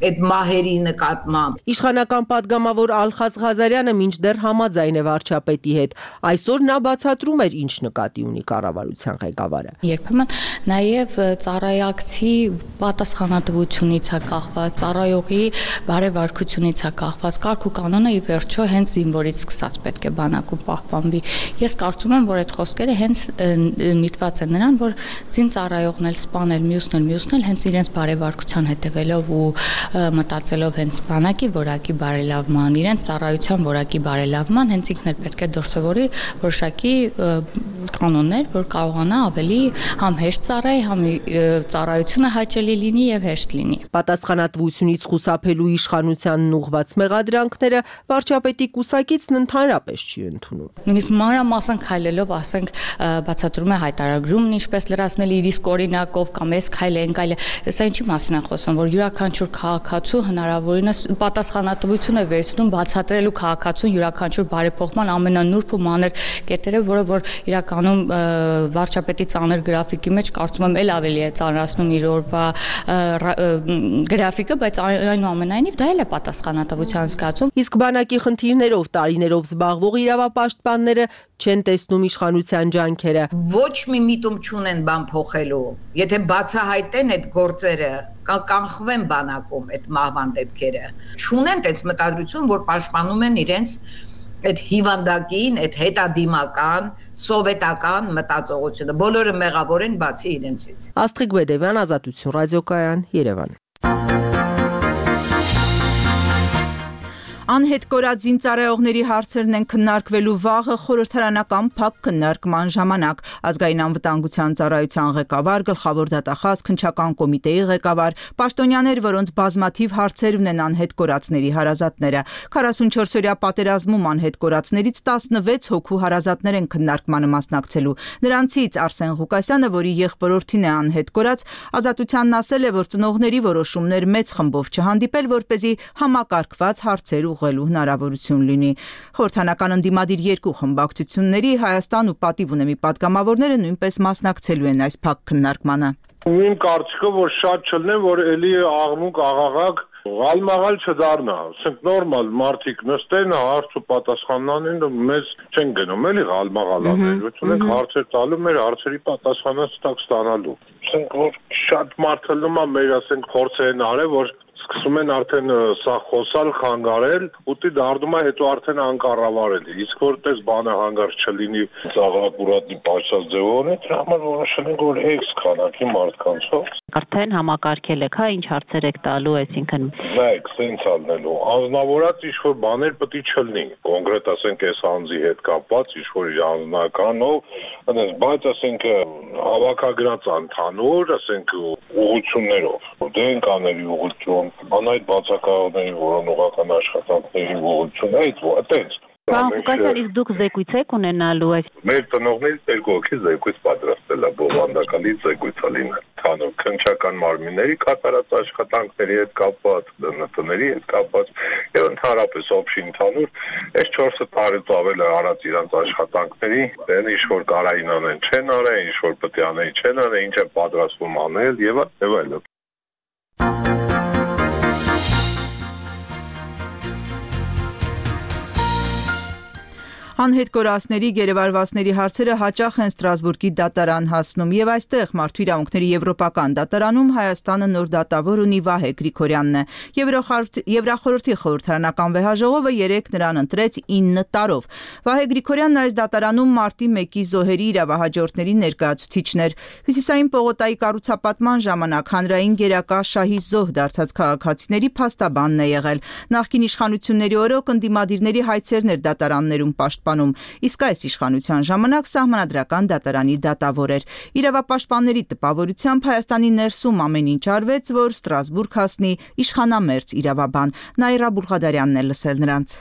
այդ մահերի նկատմամբ։ Իշխանական պատգամավոր Ալխազ Ղազարյանը մինչդեռ համաձայն է վարչապետի հետ։ Այսօր նա բացատրում էր ինչ նկատի ունի կառավարության ղեկավարը։ Երբեմն նաև ծառայակցի պատասխանատվությունից է կախված, ծառայողի բարեվարկությունից է կախված, կարգ ու կանոնը ի վերջո հենց զինվորից սկսած պետք է բանակում պահպանվի։ Ես կարծում եմ, որ այդ խոսքերը հենց միտված են նրան, որ զինծառայողն էլ սպանել, մյուսն էլ, մյուսն էլ հենց իրենց բարեվարկության հետևելով ու մտածելով հենց բանակի որակի բարելավման, իրենց ծառայության որակի բարելավման, հենց ինքն էլ պետք է դրսևորի որոշակի կանոններ, որ կարողանա ավելի համ հեշտ ծառայի, համ ծառայությունը հաճելի լինի եւ հեշտ լինի։ Պատասխանատվությունից խուսափելու իշխանությանն ուղղված մեղադրանքները վարչապետի կուսակիցն ընդհանրապես չի ընդունում։ Նույնիսկ մանրամասն քայլելով, ասենք, բացատրում է հայտարարումն ինչպես լրացնել իր իսկ օրինակով կամ էս քայլ են քայլ։ Սա ինչի մասին է խոսում, որ յուրաքանչյուր քաղաքացու հնարավորինս պատասխանատվություն է վերցնում բացատրելու քաղաքացուն յուրաքանչյուր բարեփոխման ամենանուրբ ու մանր կետերը, որը որ իրականում վարչապետի ծանր գրաֆիկի մեջ կարծում եմ էլ ավելի է ծանրացնում իր օրվա գրաֆիկը, բայց այնուամենայնիվ դա էլ է պատասխանատվության զգացում։ Իսկ բանակի խնդիրներով տարիներով զբաղվող իրավապաշտպանները չեն տեսնում իշխանության ջանքերը։ Ոչ մի միտում չունեն բան փոխելու։ Եթե բացահայտեն այդ գործերը, կանխվեն բանակում այդ մահվան դեպքերը։ Չունեն այդպես մտադրություն, որ պաշտպանում են իրենց այդ հիվանդակին, այդ հետադիմական, սովետական մտածողությունը։ Բոլորը մեղավոր են բացի իրենցից։ Աստղիկ Բեդևյան, Ազատություն ռադիոկայան, Երևան։ Անհետ կորած զինծառայողների հարցերն են քննարկվելու վաղը խորհրդարանական փակ քննարկման ժամանակ։ Ազգային անվտանգության ծառայության ղեկավար, գլխավոր դատախազ, քննչական կոմիտեի ղեկավար, պաշտոնյաներ, որոնց բազմաթիվ հարցեր ունեն անհետ կորածների հարազատները։ քառասունչորս-օրյա պատերազմում անհետ կորածներից տասնվեց հոգու հարազատներ են քննարկմանը մասնակցելու։ Նրանցից Արսեն Ղուկասյանը, որի եղբորորդին է անհետ կորած, Ազատությանն ասել է, որ ծնողների որոշումներ մեծ խմբով չհանդիպել, որպեսզի համակարգված հարցեր ուղղելու հնարավորություն լինի։ Խորհրդանական ընդդիմադիր երկու խմբակցությունների Հայաստան ու Պատիվ ունեմի պատգամավորները նույնպես մասնակցելու են այս փակ քննարկմանը։ Իմ կարծիքով, որ շատ չլինեն, որ էլի աղմուկ աղաղակ Գալմաղալ չդառնա, ասենք նորմալ մարդիկ նստեն, հարց ու պատասխան անեն, մեզ չեն գնում էլի գալմաղալ անել, ունենք հարցեր տալու, մեր հարցերի պատասխանը ստակ ստանալու։ Ասենք որ շատ մարդ լնում է մեր, ասենք փորձերն արել, որ սկսում են արդեն սա խոսալ, խանգարել, ուտի դառնում է հետո արդեն անկառավարել։ Իսկ որպես բանը հանգարց չլինի ծաղրապուրատնի պաշտած ձևով, դրա համար որոշել ենք, որ էքս քանակի մարդկանցով արդեն համակարգել եք, հա, ինչ հարցեր եք տալու, այսինքն նայեք, սենց ալնելու։ Անձնավորած ինչ-որ բաներ պետք է չլինի։ Կոնկրետ ասենք այս անձի հետ կապված ինչ-որ անձնականով, այնպես, բայց ասենք հավաքագրած ընդհանուր, ասենք ուղղություններով, դե են կաների ուղղություն, անայդ բացակայողների որոնողական աշխատանքների ուղղություն, այդ այդպես։ Պարոն Ղուկասյան, իսկ դուք զեկույց եք ունենալու այս։ Մեր տնօրեններից երկու հոգի զեկույց պատրաստել է, բովանդակալի զեկույց է լինել։ Քանո քննչական մարմինների կատարած աշխատանքների հետ կապված, ԴՆԹ-ների հետ կապված եւ ընդհանրապես օբշի ընդհանուր այս չորս տարուց ավել արած իրանց աշխատանքների, դեն ինչ որ կարային անեն, չեն արել, ինչ որ պետք է անեն, չեն արել, ինչ է պատրաստվում անել եւ եւ այլն։ Անհետ կորածների գերեվարվածների հարցերը հաճախ են Ստրասբուրգի դատարան հասնում եւ այստեղ Մարդու իրավունքների եվրոպական դատարանում Հայաստանը նոր դատավոր ունի Վահե Գրիգորյանն է։ Եվրախորհրդի խորհրդարանական վեհաժողովը երեկ նրան ընտրեց ինը տարով։ Վահե Գրիգորյանն այս դատարանում մարտի մեկի զոհերի իրավահաջորդների ներկայացուցիչն էր։ Հյուսիսային պողոտայի կառուցապատման ժամանակ հանրային գերակա շահի զոհ դարձած քաղաքացիների փաստաբանն է եղել։ Նախկին իշխանությունների օրոք ընդդիմադիրների հայցերն էր դատարաններում պաշտպանում, իսկ այս իշխանության ժամանակ սահմանադրական դատարանի դատավոր էր։ Իրավապաշտպանների տպավորությամբ Հայաստանի ներսում ամեն ինչ արվեց, որ Ստրասբուրգ հասնի իշխանամերձ իրավաբան։ Նաիրա Բուլղադարյանն է լսել նրանց։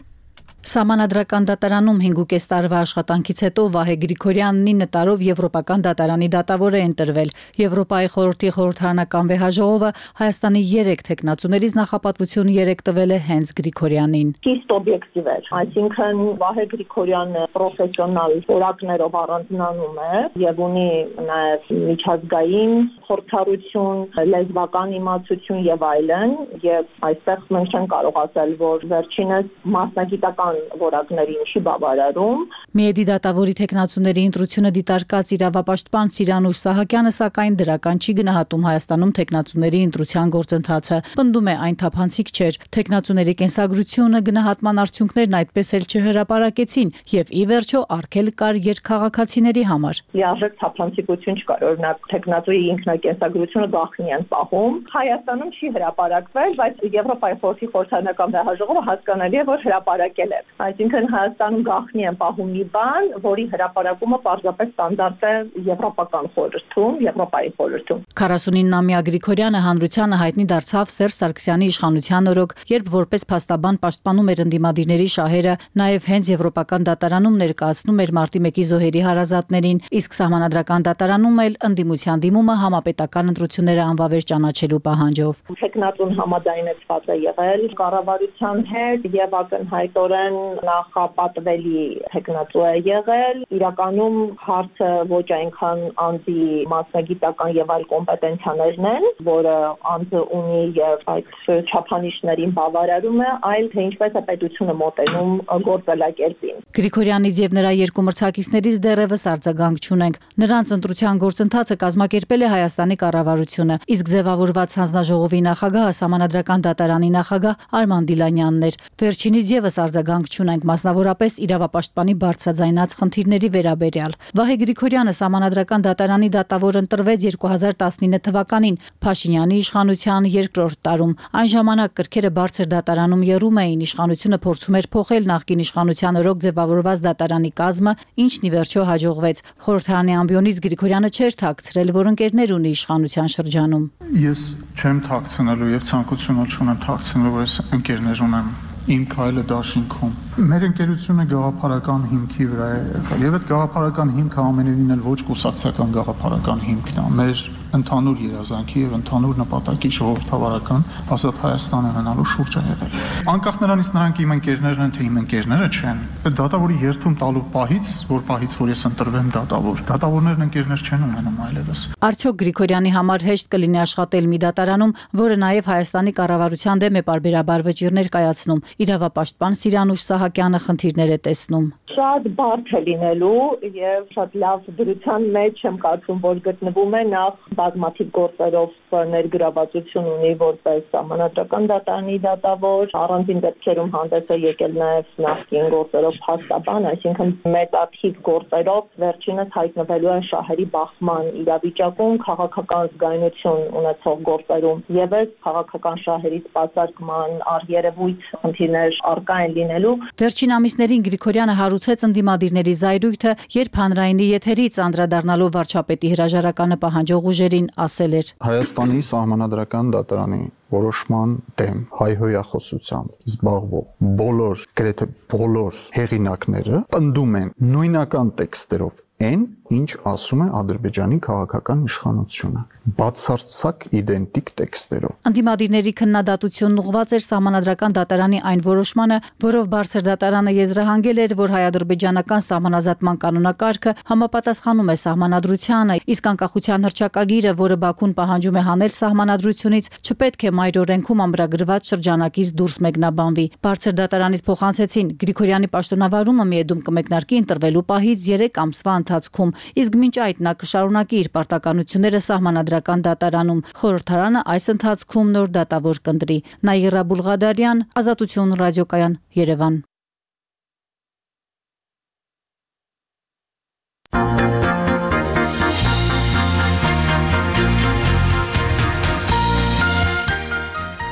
Սահմանադրական դատարանում հինգուկես տարվա աշխատանքից հետո Վահե Գրիգորյանն ինը տարով Եվրոպական դատարանի դատավոր է ընտրվել։ Եվրոպայի խորհրդի խորհրդարանական վեհաժողովը Հայաստանի երեք թեկնածուներից նախապատվություն երեք տվել է հենց Գրիգորյանին։ Ճիշտ օբյեկտիվ էր, այսինքն Վահե Գրիգորյանը պրոֆեսիոնալ որակներով առանձնանում է եւ ունի նաեւ միջազգային խորհրդարություն, լեզվական իմացություն եւ այլն, եւ այստեղ մենք չենք կարող ասել, որ վերջինս մասնագիտական իրավական որակներին չի բավարարում։ Միեդի դատավորի թեկնածուների ընտրությունը դիտարկած իրավապաշտպան Սիրանուշ Սահակյանը սակայն դրական չի գնահատում Հայաստանում թեկնածուների ընտրության գործընթացը։ Պնդում է այն թափանցիկ չէր։ Թեկնածուների կենսագրությունը գնահատման արդյունքներն այդպես էլ չհրապարակեցին եւ ի վերջո արգել կար երկքաղաքացիների համար։ Լիարժեք թափանցիկություն չկար, օրինակ թեկնածուի ինքնակենսագրությունը գաղտնի են պահում։ Հայաստանում չի հրապարակվել, բայց Եվրոպայի խորհրդի խորհրդարանական վեհաժողովը հասկանալի է, որ հրապարակել է։ Այսինքն Հայաստանում գաղտնի են պահում մի բան, որի հրապարակումը պարզապես ստանդարտ է եվրոպական խորհրդում, Եվրոպայի խորհրդում։ քառասունինամյա Գրիգորյանը հանրությանը հայտնի դարձավ Սերժ Սարգսյանի իշխանության օրոք, երբ որպես փաստաբան պաշտպանում էր ընդդիմադիրների շահերը, նաև հենց Եվրոպական դատարանում ներկայացնում էր մարտի մեկի զոհերի հարազատներին, իսկ Սահմանադրական դատարանում էլ ընդդիմության դիմումը համապետական ընտրությունները անվավեր ճանաչելու պահանջով։ Թեկնածուն համաձայնեցված է եղել կառավարության հետ եւ ակնհայտորեն նախապատվելի թեկնածու է եղել։ Իրականում հարցը ոչ այնքան անձի մասնագիտական եւ այլ կոմպետենցիաներն են, որը անձը ունի եւ այդ չափանիշներին բավարարում է, այլ թե ինչպես է պետությունը մոտենում գործելակերպին։ Գրիգորյանից եւ նրա երկու մրցակիցներից դեռևս արձագանք չունենք։ Նրանց ընտրության գործընթացը կազմակերպել է Հայաստանի կառավարությունը, իսկ ձևավորված հանձնաժողովի նախագահը Սահմանադրական դատարանի նախագահ Արման Դիլանյանն էր։ Վերջինից եւս արձագանք չունենք, մասնավորապես իրավապաշտպանի բարձրաձայնած խնդիրների վերաբերյալ։ Վահե Գրիգորյանը Սահմանադրական դատարանի դատավոր ընտրվեց երկու հազար տասնինը թվականին Փաշինյանի իշխանության երկրորդ տարում։ Այն ժամանակ կրքերը բարձր դատարանում եռում էին, իշխանությունը փորձում էր փոխել նախկին իշխանության օրոք ձևավորված դատարանի կազմը, ինչն ի վերջո հաջողվեց։ Խորհրդարանի ամբիոնից Գրիգորյանը չէր թաքցրել, որ ընկերներ ունի իշխանության շրջանում։ Ես չեմ թաքցնելու եւ ցանկություն չունեմ թաքցնելու, որ ես ընկերներ ունեմ իմ քայլը դաշինքում։ Մեր ընկերությունը գաղափարական հիմքի վրա է եղել եւ այդ գաղափարական հիմքը ամենևին էլ ոչ կուսակցական գաղափարական հիմքն է։ Մեր ընդհանուր երազանքի եւ ընդհանուր նպատակի ժողովրդավարական ազատ Հայաստան ունենալու շուրջ է եղել։ Անկախ նրանից նրանք իմ ընկերներն են, թե իմ ընկերները չեն, այդ դատավորի երթում տալու պահից, որ պահից որ ես ընտրվեմ դատավոր, դատավորներն ընկերներ չեն ունենում այլևս։ Արդյոք Գրիգորյանի համար հեշտ կլինի աշխատել մի դատարանում, որը նաեւ Հայաստանի կառավարության դեմ է պարբերաբար վճիռներ կայացնում։ Իրավապաշտպան Սիրանուշ Սահակյանը խնդիրներ է տեսնում։ Շատ բարդ է լինելու եւ շատ լավ դրության մեջ եմ կարծում, որ գտնվում է նախ բազմաթիվ գործերով ներգրավվածություն ունի որպես Սահմանադրական դատարանի դատավոր, առանձին դեպքերում հանդես է եկել նաեւ նախկին գործերով փաստաբան, այսինքն մեծաթիվ գործերով վերջինս հայտնվելու են շահերի բախման իրավիճակում, քաղաքական զգայունություն ունեցող գործերում եւ այս քաղաքական շահերի սպասարկման առերևույթ խնդիրներ առկա են լինելու։ Վերջին ամիսներին Գրիգորյանը հարուցեց ընդդիմադիրների զայրույթը, երբ հանրայինի եթերից անդրադառնալով վարչապետի հրաժարականը պահանջող ուժերին ասել էր. Հայաստանի Սահմանադրական դատարանի որոշման դեմ հայհոյախոսությամբ զբաղվող բոլոր, գրեթե բոլոր հեղինակները պնդում են նույնական տեքստերով այն, ինչ ասում է Ադրբեջանի քաղաքական իշխանությունը, բացարձակ իդենտիկ տեքստերով։ Ընդդիմադիրների քննադատությունն ուղղված էր Սահմանադրական դատարանի այն որոշմանը, որով բարձր դատարանը եզրահանգել էր, որ հայ-ադրբեջանական սահմանազատման կանոնակարգը համապատասխանում է սահմանադրությանը, իսկ անկախության հռչակագիրը, որը Բաքուն պահանջում է հանել սահմանադրությունից, չպետք է մայր օրենքում ամրագրված շրջանակից դուրս մեկնաբանվի։ Բարձր դատարանից փոխանցեցին Գրիգորյանի պաշտոնավարումը Միեդում կմեկնարկի ընտրվելու պահից երեք ամսվա ընթացքում, իսկ մինչ այդ նա կշարունակի իր պարտականությունները Սահմանադրական դատարանում։ Խորհրդարանը այս ընթացքում նոր դատավոր կընտրի։ Նաիրա Բուլղադարյան, Ազատություն ռադիոկայան, Երևան։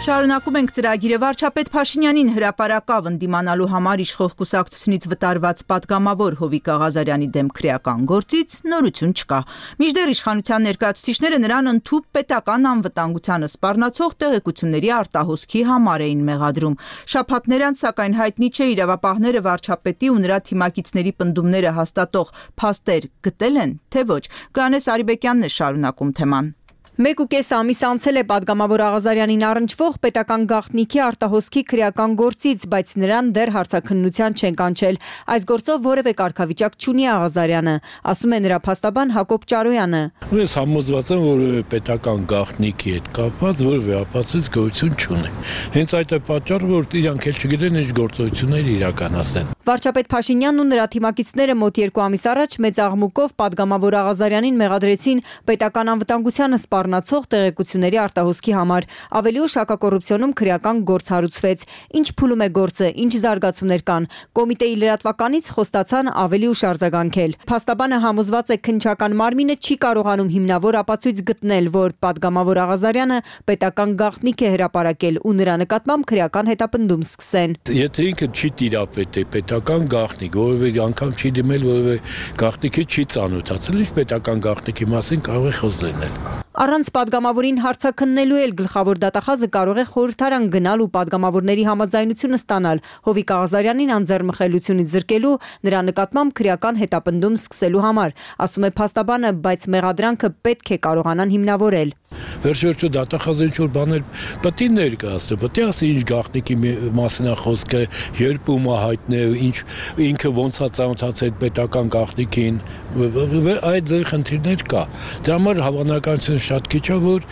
Շարունակում ենք ծրագիրը։ Վարչապետ Փաշինյանին հրապարակավ ընդդիմանալու համար իշխող կուսակցությունից վտարված պատգամավոր Հովիկ Աղազարյանի դեմ քրեական գործից նորություն չկա։ Մինչդեռ իշխանության ներկայացուցիչները նրան ընդհուպ պետական անվտանգությանը սպառնացող տեղեկությունների արտահոսքի համար էին մեղադրում։ Շաբաթներ անց, սակայն, հայտնի չէ իրավապահները վարչապետի ու նրա թիմակիցների պնդումները հաստատող փաստեր գտել են, թե ոչ։ Գանես Արիբեկյանն է շարունակում թեման։ Մեկ ու կես ամիս անցել է պատգամավոր Աղազարյանին առնչվող պետական գաղտնիքի արտահոսքի քրեական գործից, բայց նրան դեռ հարցաքննության չեն կանչել։ Այս գործով որևէ կարգավիճակ չունի Աղազարյանը, ասում է նրա փաստաբան Հակոբ Ճարոյանը։ Ես համոզված եմ, որ պետական գաղտնիքի հետ կապված որևէ ապացույց գոյություն չունի։ Հենց այդ է պատճառը, որ իրանք էլ չգիտեն ինչ գործողություններ իրականացնեն։ Վարչապետ Փաշինյանն ու նրա թիմակիցները մոտ երկու ամիս առաջ մեծ աղմուկով պատգամավոր Աղազարյանին մեղադրեցին պետական անվտանգությանը սպառնացող տեղեկությունների արտահոսքի համար։ Ավելի ուշ հակակոռուպցիոնում քրեական գործ հարուցվեց։ Ինչ փուլում է գործը, ինչ զարգացումներ կան։ Կոմիտեի լրատվականից խոստացան ավելի ուշ արձագանքել։ Փաստաբանը համոզված է, քննչական մարմինը չի կարողանում հիմնավոր ապացույց գտնել, որ պատգամավոր Աղազարյանը պետական գաղտնիք է հրապարակել ու նրա նկատմամբ քրեական հետապնդում սկսեն։ Եթե ինքը չի տիրապետել պետական գաղտնիք, որևէ անգամ չի դիմել, որևէ գաղտնիքի չի ծանոթացել, ինչ պետական գաղտնիքի մասին կարող է խոս լինել։ Առանց պատգամավորին հարցաքննելու էլ գլխավոր դատախազը կարող է խորհրդարան գնալ ու պատգամավորների համաձայնությունը ստանալ Հովիկ Աղազարյանին անձեռմխելիությունից զրկելու, նրա նկատմամբ քրեական հետապնդում սկսելու համար, ասում է փաստաբանը, բայց մեղադրանքը պետք է կարողանան հիմնավորել։ Վերջ-վերջո դատախազը ինչ-որ բաներ պետք է ներկայացնի, պետք է ասի ինչ գաղտնիքի մասին է խոսքը, երբ ում է հայտնել, ինչ ինքը ոնց է ծանոթացել պետական գաղտնիքին, այդ ձեր խնդիրներ կա։ Դրա համար հավանականությունը շատ քիչ է, որ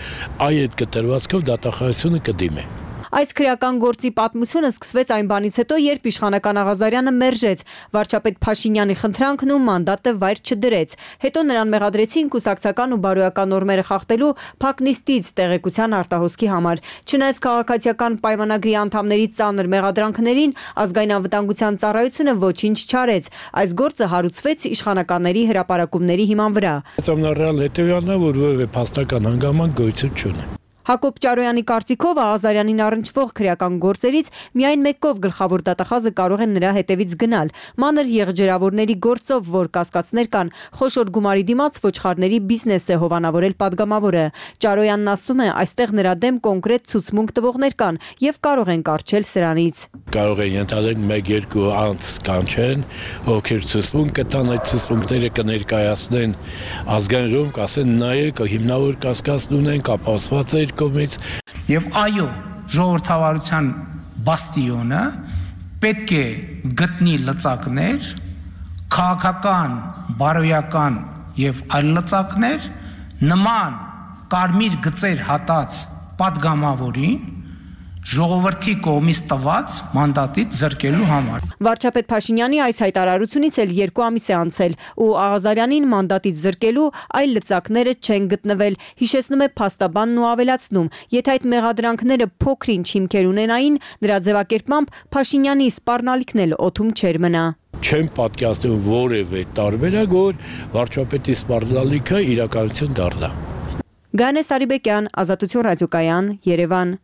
այդ կտրվածքով դատախազությունը կդիմի։ Այս քրեական գործի պատմությունը սկսվեց այն բանից հետո, երբ իշխանական Աղազարյանը մերժեց վարչապետ Փաշինյանի խնդրանքն ու մանդատը վայր չդրեց։ Հետո նրան մեղադրեցին կուսակցական ու բարոյական նորմերը խախտելու փակ նիստից տեղեկության արտահոսքի համար։ Չնայած քաղաքացիական պայմանագրի անդամների ծանր մեղադրանքներին, ազգային անվտանգության ծառայությունը ոչինչ չարեց։ Այս գործը հարուցվեց իշխանականների հրապարակումների հիման վրա։ Ամենառեալ հետևյալն է, որ որևէ փաստական հանգամանք գոյություն չունի։ Հակոբ Ճարոյանի կարծիքով Աղազարյանին առնչվող քրեական գործերից միայն մեկով գլխավոր դատախազը կարող է նրա հետևից գնալ։ Մանր եղջերավորների գործով, որ կասկածներ կան, խոշոր գումարի դիմաց ոչխարների բիզնես է հովանավորել պատգամավորը։ Ճարոյանն ասում է, այստեղ նրա դեմ կոնկրետ ցուցմունք տվողներ կան եւ կարող են կարճել սրանից։ Կարող են ենթադրել մեկ-երկու անց կանչեն, ովքեր ցուցմունք կտան, այդ ցուցմունքները կներկայացնեն ազգային ժողովում, կասեն նայեք, հիմնավոր կասկած ունենք, ապահովված է Եվ այո, ժողովրդավարության բաստիոնը պետք է գտնի լծակներ, քաղաքական, բարոյական եւ այլ լծակներ, նման կարմիր գծեր հատած պատգամավորին ժողովրդի կողմից տված մանդատից զրկելու համար։ Վարչապետ Փաշինյանի այս հայտարարությունից էլ երկու ամիս է անցել ու Աղազարյանին մանդատից զրկելու այլ լծակները չեն գտնվել, հիշեցնում է փաստաբանն ու ավելացնում, եթե այդ մեղադրանքները փոքր-ինչ հիմքեր ունենային, նրա ձևակերպմամբ Փաշինյանի սպառնալիքն էլ օդում չէր մնա։ Չեմ պատկերացնում որևէ տարբերակ, որ վարչապետի սպառնալիքը իրականություն դառնա։ Գանե Սարիբեկյան, Ազատություն ռադիոկայան, Երևան։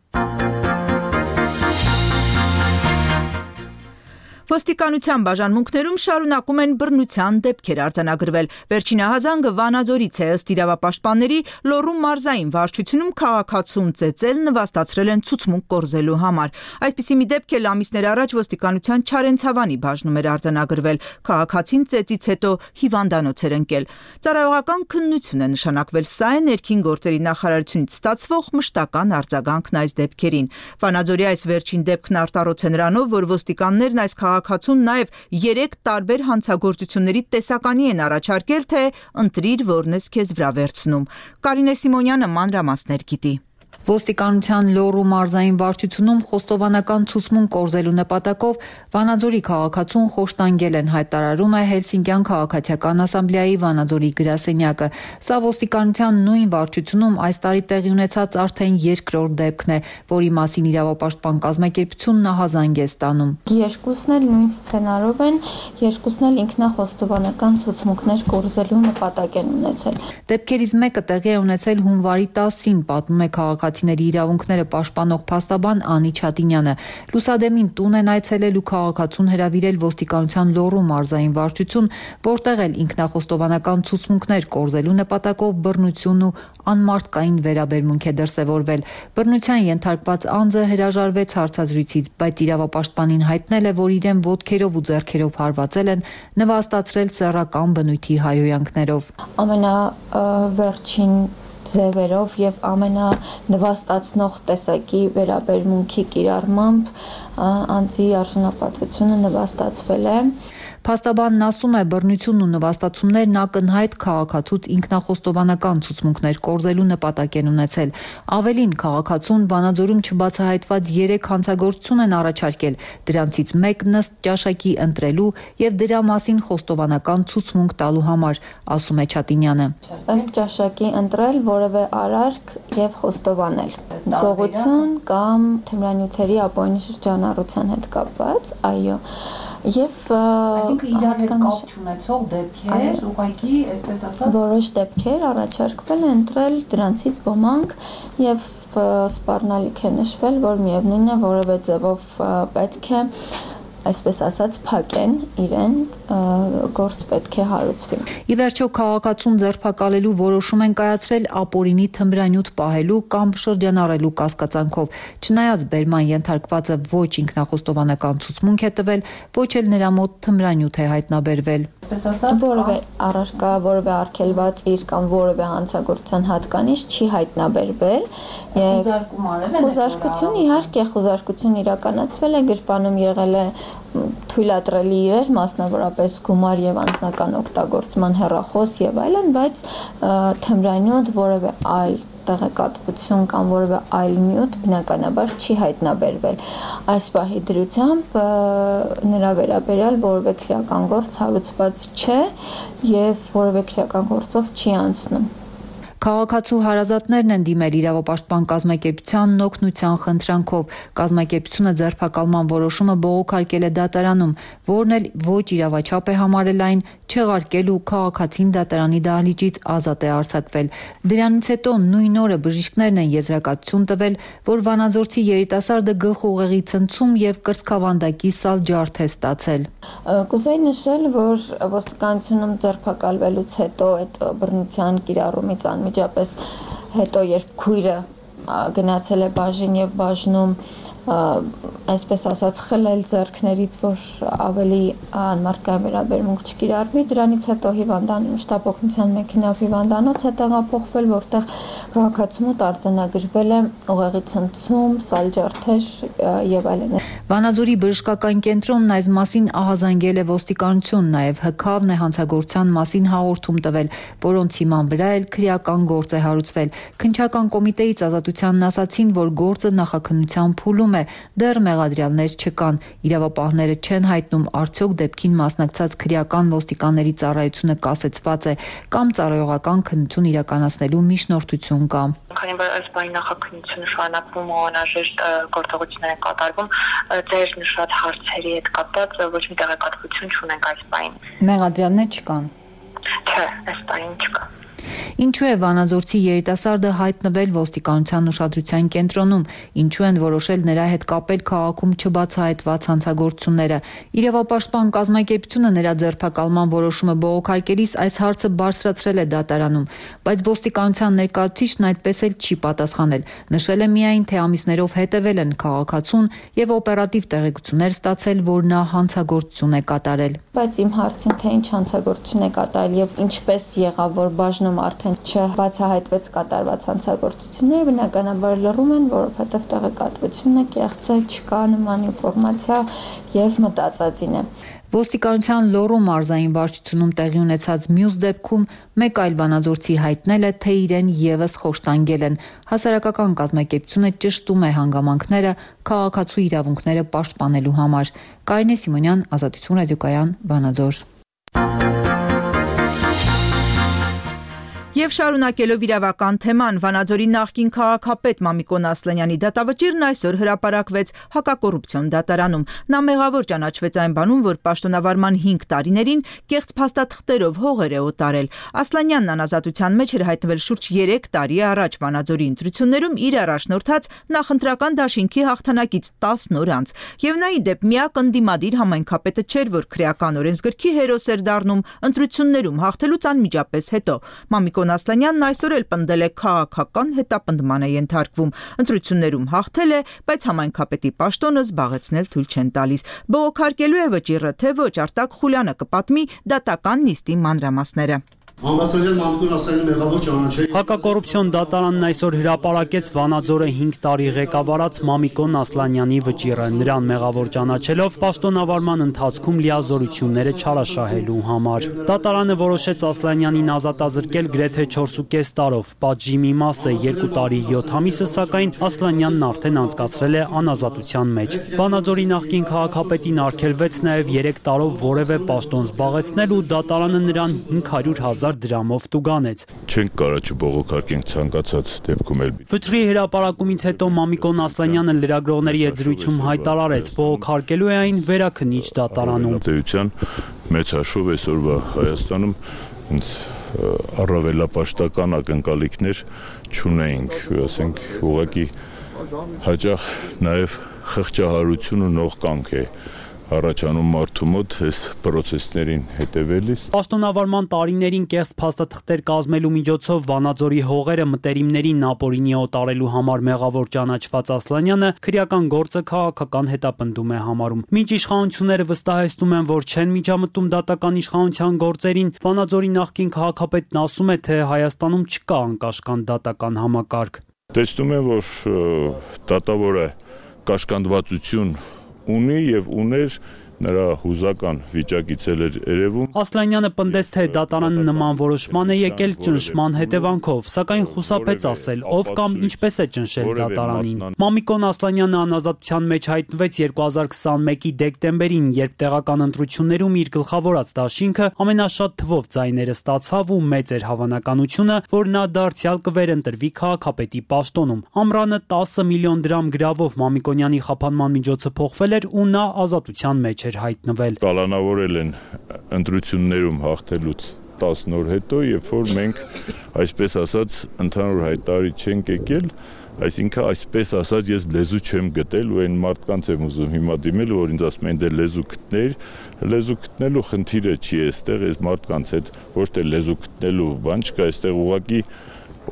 Ոստիկանության բաժանմունքներում շարունակում են բռնության դեպքեր արձանագրվել։ Վերջին ահազանգը Վանաձորից է, ըստ իրավապաշտպանների, Լոռու մարզային վարչությունում քաղաքացուն ծեծել նվաստացրել են ցուցմունք կորզելու համար։ Այսպիսի մի դեպք էլ ամիսներ առաջ ոստիկանության Չարենցավանի բաժնում էր արձանագրվել։ Քաղաքացին ծեծից հետո հիվանդանոց էր ընկել։ Ծառայողական քննություն է նշանակվել, սա է ներքին գործերի նախարարությունից ստացվող մշտական արձագանքն այս դեպքերին։ Վանաձորի այս վերջին դեպքն արտառոց է նրանով, որ ոստիկաններն այս քաղաքացուն նաև երեք տարբեր հանցագործությունների տեսականի են առաջարկել, թե ընտրիր, որն ես քեզ վրա վերցնում։ Կարինե Սիմոնյանը մանրամասներ գիտի։ Ոստիկանության Լոռու մարզային վարչությունում խոստովանական ցուցմունք կորզելու նպատակով Վանաձորի քաղաքացուն խոշտանգել են, հայտարարում է Հելսինկյան քաղաքացիական ասամբլեայի Վանաձորի գրասենյակը։ Սա ոստիկանության նույն վարչությունում այս տարի տեղի ունեցած արդեն երկրորդ դեպքն է, որի մասին իրավապաշտպան կազմակերպությունն ահազանգ է ստանում։ Երկուսն էլ նույն սցենարով են, երկուսն էլ ինքնախոստովանական ցուցմունքներ կորզելու նպատակ են ունեցել։ Դեպքերից մեկը տեղի է ունեցել հունվարի տասին, պատմում է քաղաքացիների իրավունքները պաշտպանող փաստաբան Անի Չատինյանը։ Լուսադեմին տուն են այցելել ու քաղաքացուն հրավիրել ոստիկանության Լոռու մարզային վարչություն, որտեղ էլ ինքնախոստովանական ցուցմունքներ կորզելու նպատակով բռնություն ու անմարդկային վերաբերմունք է դրսևորվել։ Բռնության ենթարկված անձը հրաժարվեց հարցազրույցից, բայց իրավապաշտպանին հայտնել է, որ իրեն ոտքերով ու ձեռքերով հարվածել են, նվաստացրել սեռական բնույթի հայհոյանքներով։ Ամենավերջին ձևերով եւ ամենանվաստացնող տեսակի վերաբերմունքի կիրառմամբ անձի արժանապատվությունը նվաստացվել է։ Փաստաբանն ասում է, բռնությունն ու նվաստացումներն ակնհայտ քաղաքացուց ինքնախոստովանական ցուցմունքներ կորզելու նպատակ են ունեցել։ Ավելին, քաղաքացուն Վանաձորում չբացահայտված երեք հանցագործություն են առաջարկել, դրանցից մեկն ըստ ճաշակի ընտրելու եւ դրա մասին խոստովանական ցուցմունք տալու համար, ասում է Չատինյանը։ Ըստ ճաշակի ընտրել որևէ արարք եւ խոստովանել։ Գողություն կամ թմրանյութերի ապօրինի շրջանառության հետ կապված, այո։ Եվ հատկանիշ ունեցող դեպքեր, ուղղակի, այսպես ասած, որոշ դեպքեր առաջարկվել են ընտրել, դրանցից ոմանք եւ սպառնալիք է նշվել, որ միևնույն է որևէ ձևով պետք է այսպես ասած փակեն իրեն, գործ պետք է հարուցվի։ Ի վերջո քաղաքացուն ձերբակալելու որոշում են կայացրել ապօրինի թմրանյութ պահելու կամ շրջանառելու կասկածանքով, չնայած բերման ենթարկվածը ոչ ինքնախոստովանական ցուցմունք է տվել, ոչ էլ նրա մոտ թմրանյութ է հայտնաբերվել։ Որևէ առարկա, որևէ արգելված իր կամ որևէ հանցագործության հատկանիշ չի հայտնաբերվել եւ խոզարկություն իհարկե խոզարկություն իրականացվել է, գրպանում եղել է թույլատրելի իրեր, մասնավորապես գումար եւ անձնական օգտագործման հեռախոս եւ այլն, բայց թմրանյութ որևէ այլ տեղեկատվություն կամ որևէ այլ նյութ բնականաբար չի հայտնաբերվել։ Այս պահի դրությամբ նրա վերաբերյալ որևէ քրեական գործ հարուցված չէ եւ որևէ քրեական գործով չի անցնում։ Քաղաքացու հարազատներն են դիմել իրավապաշտպան կազմակերպությանն օգնության խնդրանքով։ Կազմակերպությունը ձերբակալման որոշումը բողոքարկել է դատարանում, որն էլ ոչ իրավաչափ է համարել այն, չեղարկել ու քաղաքացին դատարանի դահլիճից ազատ է արձակվել։ Դրանից հետո նույն օրը բժիշկներն են եզրակացություն տվել, որ վանաձորցի երիտասարդը գլխուղեղի ցնցում եւ կրծքավանդակի սալ ջարդ է ստացել։ Կուզեի նշել, որ ոստիկանությունում ձերբակալվելուց հետո այդ բռնության կիրառումից անմիջապես հետո երբ քույրը գնացել է բաժին եւ բաժնում այսպես ասած խլել ձեռքներից, որ ավելի անմարդկային վերաբերմունք չկիրառվի, դրանից հետո հիվանդան շտապ օգնության մեքենայով հիվանդանոց է տեղափոխվել, որտեղ քաղաքացու մոտ արձանագրվել է ուղեղի ցնցում, սալջարդեր եւ այլն։ Վանաձորի բժշկական կենտրոնն այս մասին ահազանգել է ոստիկանություն, նաեւ հքավն է հանցագործության մասին հաղորդում տվել, որոնց հիման վրա էլ քրեական գործ է հարուցվել։ Քննչական կոմիտեից ազատությանն ասացին, որ գործը նախաքննության փուլում է, դեռ մեղադրյալներ չկան։ Իրավապահները չեն հայտնում արդյոք դեպքին մասնակցած քրեական ոստիկանների ծառայությունը կասեցված է կամ ծառայողական քննություն իրականացնելու միջնորդություն կա։ Քանի որ այս բանի նախաքննությունը շարունակվում ու անհրաժեշտ գործողություններ են կատարվում, ձեր նշած հարցերի հետ կապված ոչ մի տեղեկատվություն չունենք այս բանին։ Մեղադրյալներ չկան։ Չէ, այս բանին չկա։ Ինչու է Վանաձորցի երիտասարդը հայտնվել ոստիկանության ուշադրության կենտրոնում, ինչու են որոշել նրա հետ կապել քաղաքում չբացահայտված հանցագործությունները։ Իրավապաշտպան կազմակերպությունը նրա ձերբակալման որոշումը բողոքարկելիս այս հարցը բարձրացրել է դատարանում, բայց ոստիկանության ներկայացուցիչն այդպես էլ չի պատասխանել։ Նշել է միայն, թե ամիսներով հետևել են քաղաքացուն եւ օպերատիվ տեղեկություններ ստացել, որ նա հանցագործություն է կատարել։ Բայց իմ հարցին, թե ինչ հանցագործություն է կատարել եւ ինչպես եղավ, որ բաժնում արդեն չբացահայտվեց կատարված հանցագործությունները, բնականաբար լռում են, որովհետև տեղեկատվությունը կեղծ է, չկա նման ինֆորմացիա եւ մտածածին է։ Ոստիկանության լոռու մարզային վարչությունում տեղի ունեցած մյուս դեպքում մեկ այլ վանաձորցի հայտնել է, թե իրեն եւս խոշտանգել են։ Հասարակական կազմակերպությունը ճշտում է հանգամանքները քաղաքացու իրավունքները պաշտպանելու համար։ Կարինե Սիմոնյան, Ազատություն ռադիոկայան, Վանաձոր։ Եվ շարունակելով իրավական թեման, Վանաձորի նախկին քաղաքապետ Մամիկոն Ասլանյանի դատավճիռն այսօր հրապարակվեց հակակոռուպցիոն դատարանում։ Նա մեղավոր ճանաչվեց այն բանում, որ պաշտոնավարման հինգ տարիներին կեղծ փաստաթղթերով հողեր է օտարել։ Ասլանյանն անազատության մեջ էր հայտնվել շուրջ երեք տարի առաջ Վանաձորի ընտրություններում իր առաջնորդած նախընտրական դաշինքի հաղթանակից տասն օր անց։ Եվ նա ի դեպ միակ ընդդիմադիր համայնքապետը չէր, որ քրեական օրենսգրքի հերոս էր դառնում ընտրություններում հաղթելուց անմիջապես հետո։ Մամիկոն Ասլանյանն այսօր էլ պնդել է քաղաքական հետապնդման է ենթարկվում։ Ընտրություններում հաղթել է, բայց համայնքապետի պաշտոնը զբաղեցնել թույլ չեն տալիս։ Բողոքարկելու է վճիռը, թե ոչ, Արտակ Խուլյանը կպատմի դատական նիստի մանրամասները։ Համբարձարյան Մամիկոն Ասլանյանի մեղավոր ճանաչել։ Հակակոռուպցիոն դատարանն այսօր հրապարակեց Վանաձորը հինգ տարի ղեկավարած Մամիկոն Ասլանյանի վճիռը, նրան մեղավոր ճանաչելով պաշտոնավարման ընթացքում լիազորությունները չարաշահելու համար։ Դատարանը որոշեց Ասլանյանին ազատազրկել գրեթե չորսուկես տարով, պատժի մի մասը երկու տարի յոթ ամիսը, սակայն Ասլանյանն արդեն անցկացրել է անազատության մեջ։ Վանաձորի նախկին քաղաքապետին արգելվեց նաև երեք տարով որևէ պաշտոն զբաղեցնել ու դատարանը նրան հինգ հարյուր հազար դրամով տուգանեց։ Չենք կարա չբողոքարկենք ցանկացած դեպքում էլ։ Վճռի հրապարակումից հետո Մամիկոն Ասլանյանը լրագրողների հետ զրույցում հայտարարեց, բողոքարկելու է այն վերաքննիչ դատարանում։ Տեյության մեծ հաշվով այսօրվա Հայաստանում ինձ առավելապաշտական ակնկալիքներ չունեինք, ասենք ուղղակի հաճախ նաև խղճահարություն ու նողկանք է առաջանում մարդու մոտ այս պրոցեսներին հետևելիս։ Պաշտոնավարման տարիներին կեղծ փաստաթղթեր կազմելու միջոցով Վանաձորի հողերը մտերիմներին ապօրինի օտարելու համար մեղավոր ճանաչված Ասլանյանը քրեական գործը քաղաքական հետապնդում է համարում։ Մինչ իշխանությունները վստահեցնում են, որ չեն միջամտում դատական իշխանության գործերին, Վանաձորի նախկին քաղաքապետն ասում է, թե Հայաստանում չկա անկաշկանդ դատական համակարգ։ Տեսնում եմ, որ դատավորը կաշկանդվածություն ունի եւ ուներ նրա հուզական վիճակից էլ էր երևում։ Ասլանյանը պնդեց, թե դատարանը նման որոշման է եկել ճնշման հետևանքով, սակայն խուսափեց ասել, ով կամ ինչպես է ճնշել դատարանին։ Մամիկոն Ասլանյանը անազատության մեջ հայտնվեց երկու հազար քսաներկու դեկտեմբերին, երբ տեղական ընտրություններում իր գլխավորած դաշինքը ամենաշատ թվով ձայները ստացավ ու մեծ էր հավանականությունը, որ նա դարձյալ կվերընտրվի քաղաքապետի պաշտոնում։ Ամռանը տասը միլիոն դրամ գրավով Մամիկոնյանի խափանման միջոցը փոխվել էր ու նա ազատության մեջ էր հայտնվել։ Կալանավորել են ընտրություններում հաղթելուց տասն օր հետո, երբ որ մենք այսպես ասած ընդհանուր հայտարարի չենք եկել, այսինքն այսպես ասած ես լեզու չեմ գտել ու այն մարդկանց եմ ուզում հիմա դիմել, որ ինձ ասում են դե լեզու գտներ, լեզու գտնելու խնդիրը չի այստեղ, այս մարդկանց հետ ոչ թե լեզու գտնելու բան չկա, այստեղ ուղղակի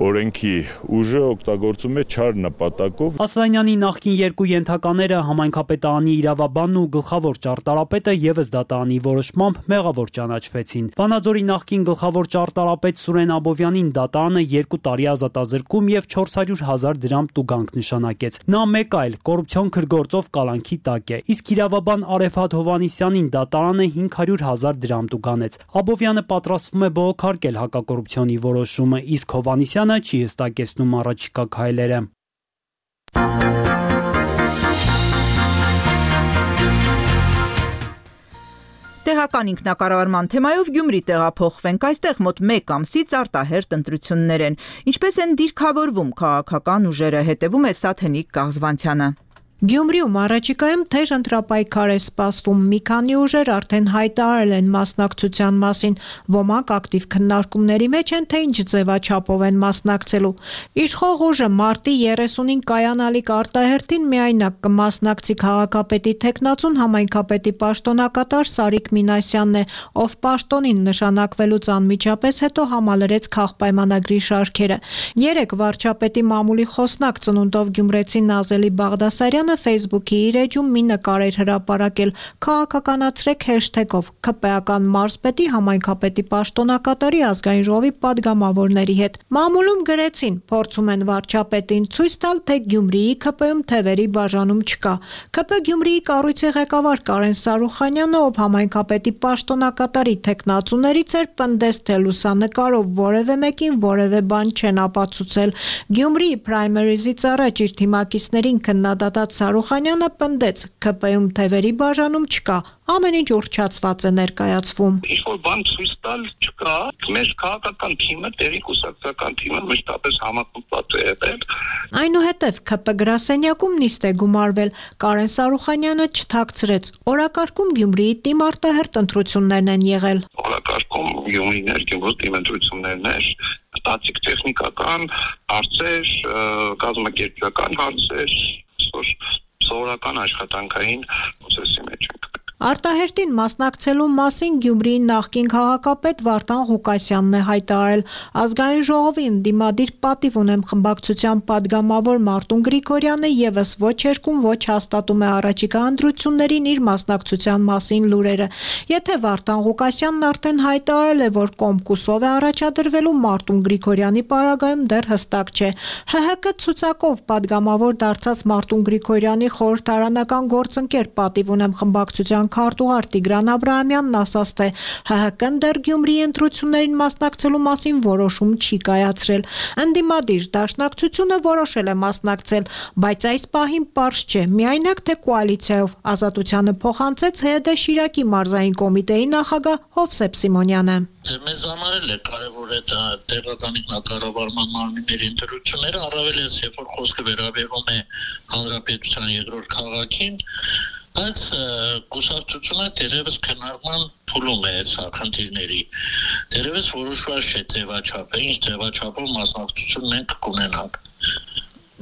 օրենքի ուժը օգտագործում է չար նպատակով։ Ասլանյանի նախկին երկու ենթակաները համայնքապետարանի իրավաբանն ու գլխավոր ճարտարապետը եւս դատարանի որոշմամբ մեղավոր ճանաչվեցին։ Վանաձորի նախկին գլխավոր ճարտարապետ Սուրեն Աբովյանին դատարանը երկու տարի ազատազրկում եւ չորս հարյուր հազար դրամ տուգանք նշանակեց։ Նա մեկ այլ կոռուպցիոն քրգործով կալանքի տակ է, իսկ իրավաբան Արեֆատ Հովհաննիսյանին դատարանը հինգ հարյուր հազար դրամ տուգանեց։ Աբովյանը պատրաստվում է բողոքարկել հակակոռուպցիոնի որոշումը, իսկ Հովհաննիսյանը չի հստակեցնում առաջիկա քայլերը։ Տեղական ինքնակառավարման թեմայով Գյումրի տեղափոխվենք, այստեղ մոտ մեկ ամսից արտահերթ ընտրություններ են։ Ինչպես են դիրքավորվում քաղաքական ուժերը, հետևում է Սաթենիկ Կաղզվանցյանը։ Գյումրիում առաջիկայում թեժ ընտրապայքար է սպասվում, մի քանի ուժեր արդեն հայտարարել են մասնակցության մասին, ոմանք ակտիվ քննարկումների մեջ են, թե ինչ ձևաչափով են մասնակցելու։ Իշխող ուժը մարտի երեսունին կայանալիք արտահերթին միայնակ կմասնակցի քաղաքապետի թեկնածուն համայնքապետի պաշտոնակատար Սարիկ Մինասյանն է, ով պաշտոնին նշանակվելուց անմիջապես հետո համալրեց քաղպայմանագրի շարքերը։ Երեկ վարչապետի մամուլի խոսնակ ծնունդով գյումրեցի Նազելի Բաղդասարյանը Facebook-ի իր էջում մի նկար էր հրապարակել, քաղաքականացրեք հեշթեգով ՔՊ-ական մարզպետի համայնքապետի պաշտոնակատարի ազգային ժողովի падգամավորների հետ։ Մամուլում գրեցին, փորձում են վարչապետին ցույց տալ, թե Գյումրիի ՔՊ-ում թևերի բաժանում չկա։ ՔՊ Գյումրիի կառույցի ղեկավար Կարեն Սարուխանյանը, ով համայնքապետի պաշտոնակատարի թեկնածուներից էր, պնդեց, թե լուսանկարով որևէ մեկին որևէ բան չեն ապացուցել։ Գյումրիի պրայմերիզից առաջ իր թիմակիցներին քննադատած Սարուխանյանը պնդեց, ՔՊ-ում թևերի բաժանում չկա, ամեն ինչ ուռճացված է ներկայացվում։ Ինչ-որ բան ցույց տալ չկա, մեր քաղաքական թիմը, տեղի կուսակցական թիմը մշտապես համակոպված է եղել։ Այնուհետև ՔՊ գրասենյակում նիստ է գումարվել, Կարեն Սարուխանյանը չթաքցրեց, օրակարգում Գյումրիի թիմ արտահերթ ընտրություններն են եղել։ Օրակարգում Գյումրիներ, Գյումրու թիմ ընտրություններն էր, ստատիկ տեխնիկական հարցեր, կազմակերպչական հարցեր, սովորական աշխատանքային process-ի մեջ ենք։ Արտահերտին մասնակցելու մասին Գյումրիի նախկին քաղաքապետ Վարդան Ղուկասյանն է հայտարարել. ազգային ժողովի ընդդիմադիր պատիվ ունեմ խմբակցության падգամավոր Մարտուն Գրիգորյանը եւս ոչ երկում ոչ հաստատում է առաջիկա ընտրություններին իր մասնակցության մասին լուրերը։ Եթե Վարդան Ղուկասյանն արդեն հայտարարել է, որ կոմկուսով է առաջադրվելու, Մարտուն Գրիգորյանի պարագայում դեռ հստակ չէ։ Հ Հ K ցուցակով падգամավոր դարձած Մարտուն Գրիգորյանի խորհրդարանական գործընկեր պատիվ ունեմ խմբակցության քարտուղար Տիգրան Աբրահամյանն ասաց, թե Հ Հ K-ն դեռ Գյումրիի ընտրություններին մասնակցելու մասին որոշում չի կայացրել։ Ընդդիմադիր դաշնակցությունը որոշել է մասնակցել, բայց այս պահին պարզ չէ, միայնակ թե կոալիցիայով։ Ազատությանը փոխանցեց Հ Դ Շիրակի մարզային կոմիտեի նախագահ Հովսեփ Սիմոնյանը։ Մեզ համար էլ է կարևոր այդ տեղական ինքնակառավարման մարմինների ընտրությունները, առավել ես երբ որ խոսքը վերաբերում է հանրապետության երկրորդ քաղաքին, բայց կուսակցությունը դերևս քննարկման փուլում է այս խնդիրների։ Դերևս որոշված չէ ձևաչափը, ինչ ձևաչափով մասնակցություն մենք կունենանք։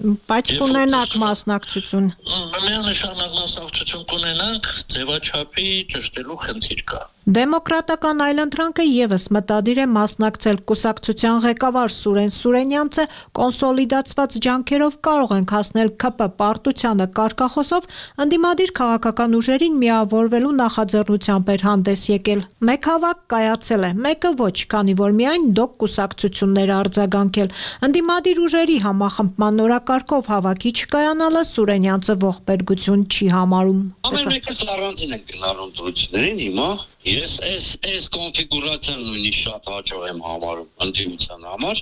Բայց կունենաք մասնակցություն։ Միանշանակ մասնակցություն կունենանք, ձևաչափի ճշտելու խնդիր կա։ Դեմոկրատական այլընտրանքը եւս մտադիր է մասնակցել կուսակցության ղեկավար Սուրեն Սուրենյանցը կոնսոլիդացված ջանքերով կարող են հասնել K P պարտությանը կարգախոսով ընդդիմադիր քաղաքական ուժերին միավորվելու նախաձեռնությամբ էր հանդես եկել։ Մեկ հավաք կայացել է, մեկը ոչ, քանի որ միայն դոկ կուսակցություններ արձագանքել։ Ընդդիմադիր ուժերի համախմբման նորակարգով հավաքի չկայանալը Սուրենյանցը ողբերգություն չի համարում։ Ամեն մեկը առանձին է գնալու դրություններին հիմա։ Ես այս այս կոնֆիգուրացիան նույնիսկ շատ հաջող եմ համարում ընդդիմության համար,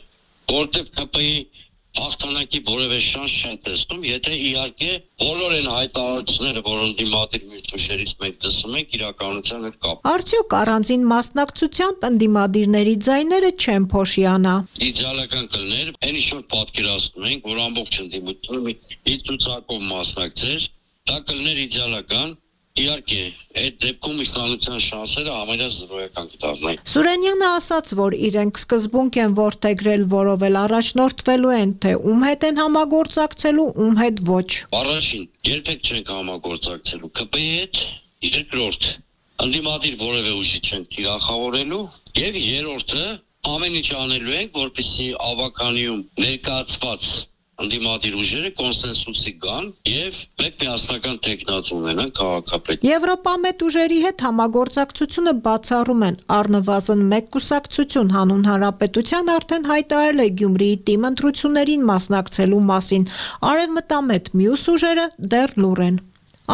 որտեղ K P-ի հաղթանակի որևէ շանս չեն տեսնում, եթե իհարկե բոլոր այն հայտարարությունները, որ ընդդիմադիր միտուշերից մենք տեսնում ենք, իրականության հետ կապ։ Արդյոք առանձին մասնակցությամբ ընդդիմադիրների ձայները չեն փոշիանա։ Իդեալական կլներ, այն ինչ որ պատկերացնում ենք, որ ամբողջ ընդդիմությունը մի ցուցակով մասնակցեր, դա կլներ իդեալական։ Իհարկե, այդ դեպքում իսլամության շանսերը ամենից զրոյական կդառնային։ Սուրենյանը ասաց, որ իրենք սկզբունք են որդեգրել, որով էլ առաջնորդվելու են, թե ում հետ են համագործակցելու, ում հետ ոչ։ Առաջին, երբեք չենք համագործակցելու K P-ի հետ, երկրորդ, ընդդիմադիր որևէ ուժի չենք թիրախավորելու, եւ երրորդը, ամեն ինչ անելու ենք, որպեսզի ավականիում ներկայացված ընդդիմադիր ուժերը կոնսենսուսի գան եւ մեկ միասնական տեխնոց ունենան քաղաքապետ։ Եվրոպամետ ուժերի հետ համագործակցությունը բացառում են։ Առնվազն մեկ կուսակցություն հանուն հանրապետության արդեն հայտարարել է Գյումրիի թիմ ընտրություններին մասնակցելու մասին։ Արևմտամետ մյուս ուժերը դեռ լուռ են։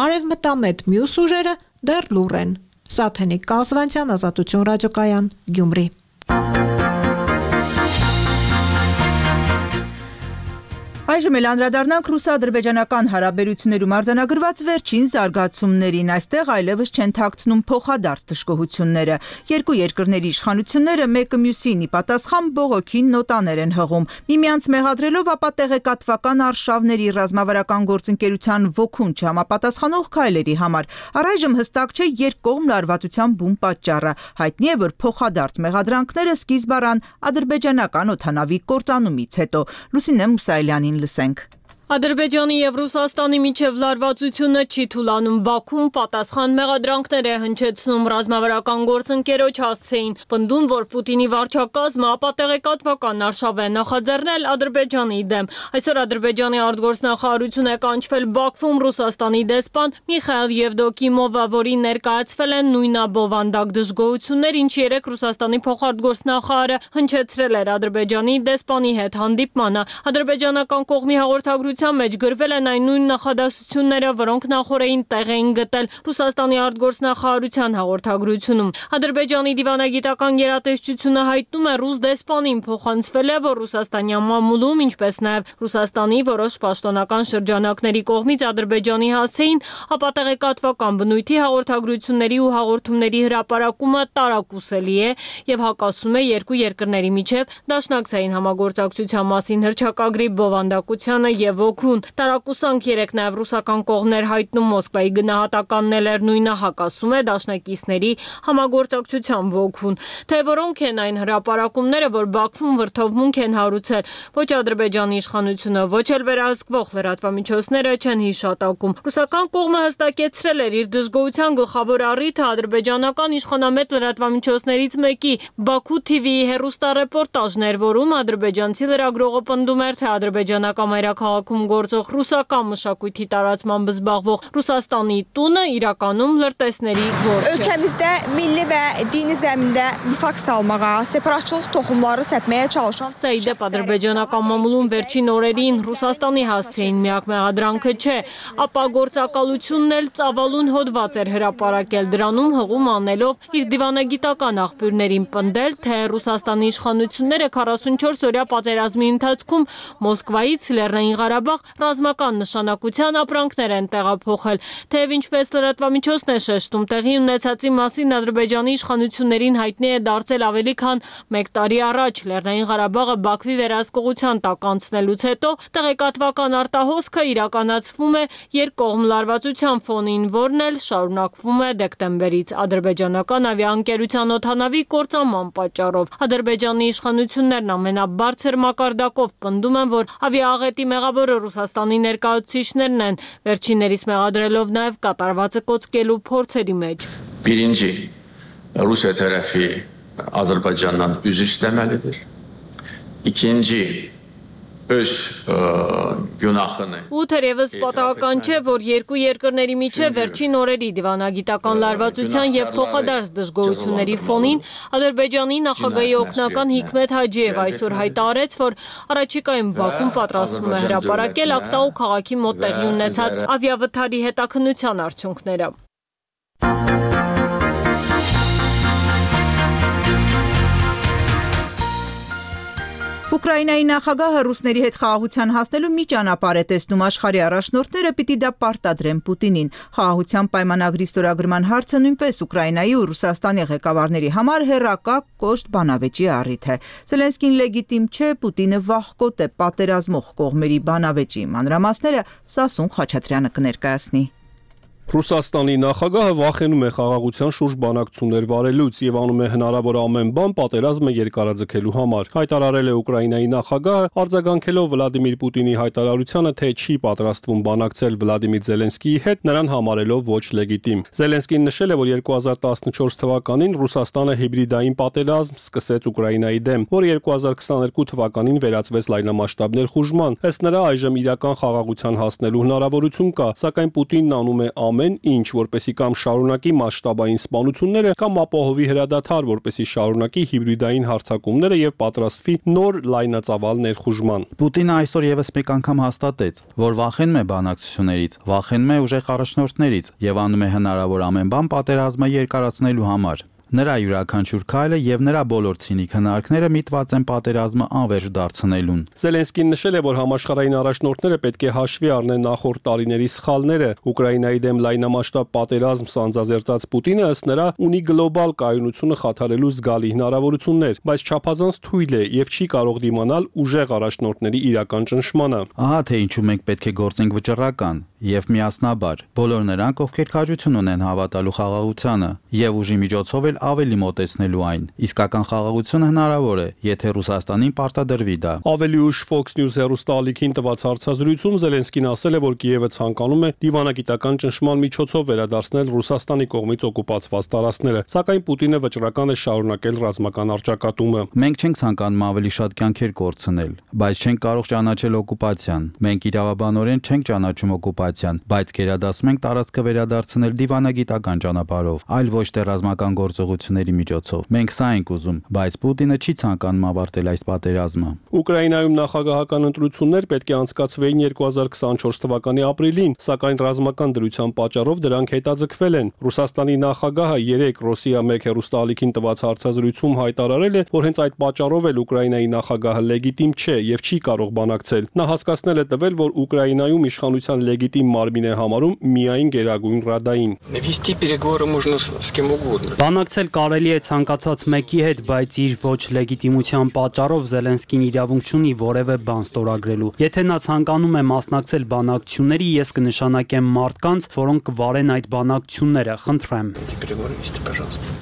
Արևմտամետ մյուս ուժերը դեռ լուռ են։ Սաթենիկ Կազվանցյան, Ազատություն ռադիոկայան, Գյումրի։ Այժմ էլ անդրադառնանք ռուս-ադրբեջանական հարաբերություններում արձանագրված վերջին զարգացումներին։ Այստեղ այլևս չեն թաքցնում փոխադարձ դժգոհությունները։ Երկու երկրների իշխանությունները մեկը մյուսին ի պատասխան բողոքի նոտաներ են հղում, միմյանց մեղադրելով ապա տեղեկատվական արշավների ռազմավարական գործընկերության ոգուն չհամապատասխանող քայլերի համար։ Առայժմ հստակ չէ երկկողմ լարվածության բուն պատճառը։ Հայտնի է, որ փոխադարձ մեղադրանքները սկիզբ առան ադրբեջանական օդանավի կործանումից հետո։ Լուսինե Մուսայելյանին լսենք։ Ադրբեջանի եւ Ռուսաստանի միջև լարվածությունը չի թուլանում։ Բաքուն պատասխան մեղադրանքներ է հնչեցնում ռազմավարական գործընկերոջ հասցեին, պնդում, որ Պուտինի վարչակազմը ապատեղեկատվական արշավ է նախաձեռնել Ադրբեջանի դեմ։ Այսօր Ադրբեջանի արտգործնախարարություն է կանչվել Բաքվում Ռուսաստանի դեսպան Միխայիլ Եվդոկիմովը, որին ներկայացվել են նույնաբովանդակ դժգոհություններ, ինչ երեք Ռուսաստանի փոխարտգործնախարարը հնչեցրել էր Ադրբեջանի դեսպանի հետ հանդիպմանը։ Ադրբեջանական կողմի հաղորդագրություն մեջ գրվել են այն նույն նախադասությունները, որոնք նախորդին տեղ էին գտել Ռուսաստանի արտգործնախարարության հաղորդագրությունում։ Ադրբեջանի դիվանագիտական գերատեսչությունը հայտնում է ռուս դեսպանին փոխանցվել է, որ ռուսաստանյան մամուլում, ինչպես նաև Ռուսաստանի որոշ պաշտոնական շրջանակների կողմից Ադրբեջանի հասցեին ապատեղեկատվական բնույթի հաղորդագրությունների ու հաղորդումների հրապարակումը տարակուսելի է եւ հակասում է երկու երկրների միջև դաշնակցային համագործակցության մասին հռչակագրի բովանդակությանը եւ ոգուն։ Տարակուսանք երեք նաև ռուսական կողմներ հայտնում Մոսկվայի գնահատականն էլ էր նույնը, հակասում է դաշնակիցների համագործակցության ոգուն։ Թե որոնք են այն հրապարակումները, որ Բաքվում վրդովմունք են հարուցել, ոչ Ադրբեջանի իշխանությունը, ոչ էլ վերահսկվող լրատվամիջոցները չեն հիշատակում։ Ռուսական կողմը հստակեցրել էր իր դժգոհության գլխավոր առիթը ադրբեջանական իշխանամետ լրատվամիջոցներից մեկի Baku T V-ի հեռուստառեպորտաժներ, որում ադրբեջանցի լրագրողը պնդում էր, թե ադրբեջանական մայրաքաղաքում գործող ռուսական մշակույթի տարածմամբ զբաղվող Ռուսաստանի տունը իրականում լրտեսների գործ է։ Ölkəmizdə milli və dini zəmində nifaq salmağa, separatçılıq toxumları səpməyə çalışan Սա ի դեպ ադրբեջանական մամուլում վերջին օրերին Ռուսաստանի հասցեին միակ մեղադրանքը չէ, ապա գործակալությունն էլ ծավալուն հոդված էր հրապարակել, դրանում հղում անելով իր դիվանագիտական աղբյուրներին պնդել, թե Ռուսաստանի իշխանությունները քառասունչորս օրյա պատերազմի ընթացքում Մոսկվայից Լեռնային Ղարաբաղ ռազմական նշանակության ապրանքներ են տեղափոխել, թեև ինչպես լրատվամիջոցն է շեշտում, տեղի ունեցածի մասին Ադրբեջանի իշխանություններին հայտնի է դարձել ավելի քան մեկ տարի առաջ Լեռնային Ղարաբաղը Բաքվի վերահսկողության տակ անցնելուց հետո տեղեկատվական արտահոսքը իրականացվում է երկկողմ լարվածության ֆոնին, որն էլ շարունակվում է դեկտեմբերից ադրբեջանական ավիաընկերության օդանավի կործանման պատճառով։ Ադրբեջանի իշխանություններն ամենաբարձր մակարդակով պնդում են, որ ավիաաղետի մեղավորը Ռուսաստանի ներկայացուցիչներն են, վերջիններիս մեղադրելով նաև կատարվածը կոծկելու փորձերի մեջ։ Birinci Rusiya tərəfi Azərbaycandan üzr istəməlidir. İkinci öz günahını Ու թերևս պատահական չէ, որ երկու երկրների միջև վերջին օրերի դիվանագիտական լարվածության եւ փոխադարձ դժգոհությունների ֆոնին Ադրբեջանի նախագահի օգնական Հիկմետ Հաջիև այսօր հայտարարեց, որ առաջիկայում Բաքուն պատրաստվում է հրապարակել Ակտաու քաղաքի մոտ տեղի ունեցած ավիավթարի հետաքննության արդյունքները։ Ուկրաինայի նախագահը ռուսների հետ խաղաղության հասնելու մի ճանապարհ է տեսնում, աշխարհի առաջնորդները պիտի դա պարտադրեն Պուտինին։ Խաղաղության պայմանագրի ստորագրման հարցը նույնպես Ուկրաինայի ու Ռուսաստանի ղեկավարների համար հեռակա կոշտ բանավեճի առիթ է։ Զելենսկին լեգիտիմ չէ, Պուտինը վախկոտ է պատերազմող կողմերի բանավեճի մանրամասները Սասուն Խաչատրյանը կներկայացնի։ Ռուսաստանի նախագահը վախենում է խաղաղության շուրջ բանակցություններ վարելուց եւ անում է հնարավոր ամեն բան պատերազմը երկարաձգելու համար։ Հայտարարել է Ուկրաինայի նախագահը, արձագանքելով Վլադիմիր Պուտինի հայտարարությանը, թե չի պատրաստվում բանակցել Վլադիմիր Զելենսկիի հետ, նրան համարելով ոչ լեգիտիմ։ Զելենսկին նշել է, որ երկու հազար տասնչորս թվականին Ռուսաստանը հիբրիդային պատերազմ սկսեց Ուկրաինայի դեմ, որը երկու հազար քսաներկու թվականին վերածվեց լայնամասշտաբ ներխուժման։ Ըստ նրա այժմ իրական խաղաղության հասնելու հնարավորություն կա, սակայն Պուտինն անում է ամեն ինչ, որպեսի կամ շարունակի մասշտաբային սպանությունները, կամ ապահովի հրադադար, որպեսի շարունակի հիբրիդային հարձակումները եւ պատրաստվի նոր լայնածավալ ներխուժման։ Պուտինը այսօր եւս մեկ անգամ հաստատեց, որ վախենում է բանակցություններից, վախենում է ուժեղ առաջնորդներից եւ անում է հնարավոր ամեն բան պատերազմը երկարացնելու համար։ Նրա յուրաքանչյուր քայլը եւ նրա բոլոր ցինիկ հնարքները միտված են պատերազմը անվերջ դարձնելուն։ Զելենսկին նշել է, որ համաշխարհային առաջնորդները պետք է հաշվի առնեն նախորդ տարիների սխալները։ Ուկրաինայի դեմ լայնամասշտաբ պատերազմ սանձազերծած Պուտինը ըստ նրա ունի գլոբալ կայունությունը խաթարելու զգալի հնարավորություններ, բայց չափազանց թույլ է եւ չի կարող դիմանալ ուժեղ առաջնորդների իրական ճնշմանը։ Ահա թե ինչու մենք պետք է գործենք վճռական եւ միասնաբար։ Բոլոր նրանք, ովքեր քաջություն ունեն հավատալու խաղաղությանը եւ ուժի միջոցով էլ ավելի մոտեցնելու այն։ Իսկական խաղաղություն հնարավոր է, եթե Ռուսաստանին պարտադրվի դա։ Ավելի ուշ Fox News հեռուստաալիքին տված հարցազրույցում Զելենսկին ասել է, որ Կիևը ցանկանում է դիվանագիտական ճնշման միջոցով վերադարձնել Ռուսաստանի կողմից օկուպացված տարածքները, սակայն Պուտինը վճռական է շարունակել ռազմական առճակատումը։ Մենք չենք ցանկանում ավելի շատ կյանքեր կորցնել, բայց չենք կարող ճանաչել օկուպացիան։ Մենք իրավաբանորեն չենք ճանաչում օկուպացիան, բայց գերադասում ենք տարածքը վերադարձնել դիվանագիտական ճանապարհով, այլ ոչ թե ռազմական գործողությունների միջոցով։ Մենք սա ենք ուզում, բայց Պուտինը չի ցանկանում ավարտել այս պատերազմը։ Ուկրաինայում նախագահական ընտրություններ պետք է անցկացվեին երկու հազար քսանչորս թվականի ապրիլին, սակայն ռազմական դրության պատճառով դրանք հետաձգվել են։ Ռուսաստանի նախագահը երեք Ռոսիա մեկ հեռուստաալիքին տված հարցազրույցում հայտարարել է, որ հենց այդ պատճառով էլ Ուկրաինայի նախագահը լեգիտիմ չէ եւ չի կարող բանակցել։ Նա հասկացնել է տվել, որ Ուկրաինայում իշխանության լեգիտիմ մարմին է համարում միայն Գերագույն Ռադային։ Вести переговоры можно с кем угодно. Բանակցել կարելի է ցանկացած մեկի հետ, բայց իր ոչ լեգիտիմության պատճառով Զելենսկին իրավունք չունի որևէ բան ստորագրելու։ Եթե նա ցանկանում է մասնակցել բանակցությունների, ես կնշանակեմ մարդկանց, որոնք կվարեն այդ բանակցությունները, խնդրեմ։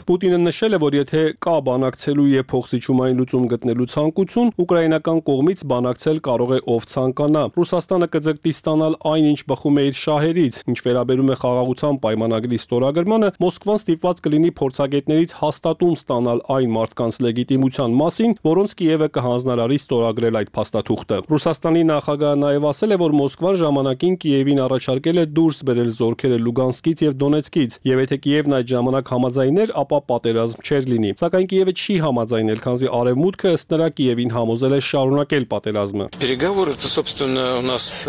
Պուտինը նշել է, որ եթե կա բանակցելու եւ փոխզիջումային լուծում գտնելու ցանկություն, ուկրաինական կողմից բանակցել կարող է ով ցանկանա։ Ռուսաստանը կձգտի ստանալ այն, ինչ բխում է իր շահերից, ինչ վերաբերում է խաղաղության պայմանագրի ստորագրմանը, Մոսկվան ստիպված կլինի փորձագետներից հաստատում ստանալ այն մարդկանց լեգիտիմության մասին, որոնց Կիևը կհանձնարարի ստորագրել այդ փաստաթուղթը։ Ռուսաստանի նախագահը նաև ասել է, որ Մոսկվան ժամանակին Կիևին առաջարկել է դուրս բերել զորքերը Լուգանսկից եւ Դոնեցկից, եւ եթե Կիևն այդ ժամանակ համաձայներ, ապա պատերազմ չէր լինի։ Սակայն Կիևը չի համաձայնել, քանզի Արևմուտքը ըստ նրա Կիևին համոզել է շարունակել պատերազմը։ Переговоры-то, собственно, у нас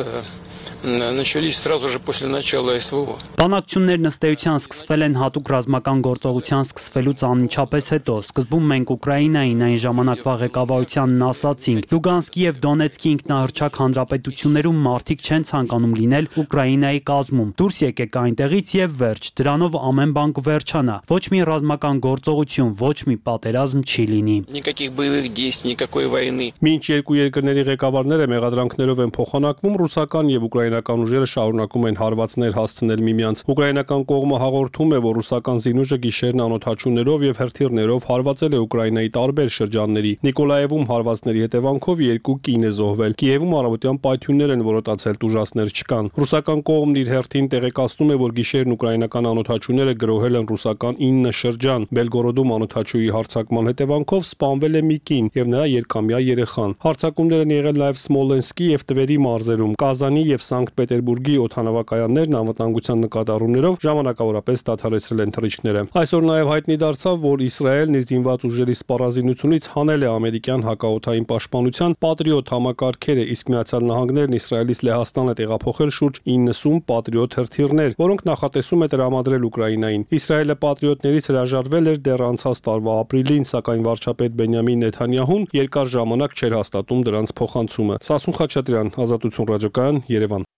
начались сразу же после начала СВО. Բանակցություններն ըստ էության սկսվել են հատուկ ռազմական գործողության սկսվելուց անմիջապես հետո։ Սկզբում մենք Ուկրաինային այն ժամանակվա ղեկավարությանն ասացինք. Լուգանսկի եւ Դոնեցկի ինքնահռչակ հանրապետություններում մարդիկ չեն ցանկանում լինել Ուկրաինայի կազմում։ Դուրս եկեք այնտեղից եւ վերջ։ Դրանով ամեն բան կվերջանա։ Ոչ մի ռազմական գործողություն, ոչ մի պատերազմ չի լինի։ Никаких боевых действий, никакой войны. Մինչ երկու երկրների ղեկավարները մեղադրանքներով են փոխանակվում, ռուսական եւ ուկրաինական ուժերը շարունակում են հարվածներ հասցնել միմյանց։ Ուկրաինական կողմը հաղորդում է, որ ռուսական զինուժը գիշերն անօդաչուներով եւ հրթիռներով հարվածել է Ուկրաինայի տարբեր շրջանների։ Նիկոլաևում հարվածների հետևանքով երկու կին է զոհվել։ Կիևում առավոտյան պայթյուններ են որոտացել, տուժածներ չկան։ Ռուսական կողմն իր հերթին տեղեկացնում է, որ գիշերն ուկրաինական անօդաչուները գրոհել են ռուսական ինը շրջան։ Բելգորոդում անօդաչուի հարձակման հետևանքով սպանվել է մի կին եւ նրա երկամյա երեխան։ Հարձակումներ են եղել նաեւ Սմոլենսկի եւ Տվերի մարզերում, Կազանի եւ Սանկտ Պետերբուրգի օդանավակայաններն անվտանգության նկատառումներով ժամանակավորապես դադարեցրել են թռիչքները։ Այսօր նաեւ հայտնի դարձավ, որ Իսրայելն իր զինված ուժերի սպառազինությունից հանել է ամերիկյան հակաօդային պաշտպանության Patriot համակարգերը, իսկ Միացյալ Նահանգներն Իսրայելից Լեհաստան է տեղափոխել շուրջ իննսուն Patriot հրթիռներ, որոնք նախատեսում է տրամադրել Ուկրաինային։ Իսրայելը Patriot-ներից հրաժարվել էր դեռ անցած տարվա ապրիլին, սակայն վարչապետ Բենյամին Նեթանյահուն երկար ժամանակ չէր հաստատում դրանց փոխանցումը։ Սասուն Խաչատրյան, Ազատություն ռադիոկայան, Երևան։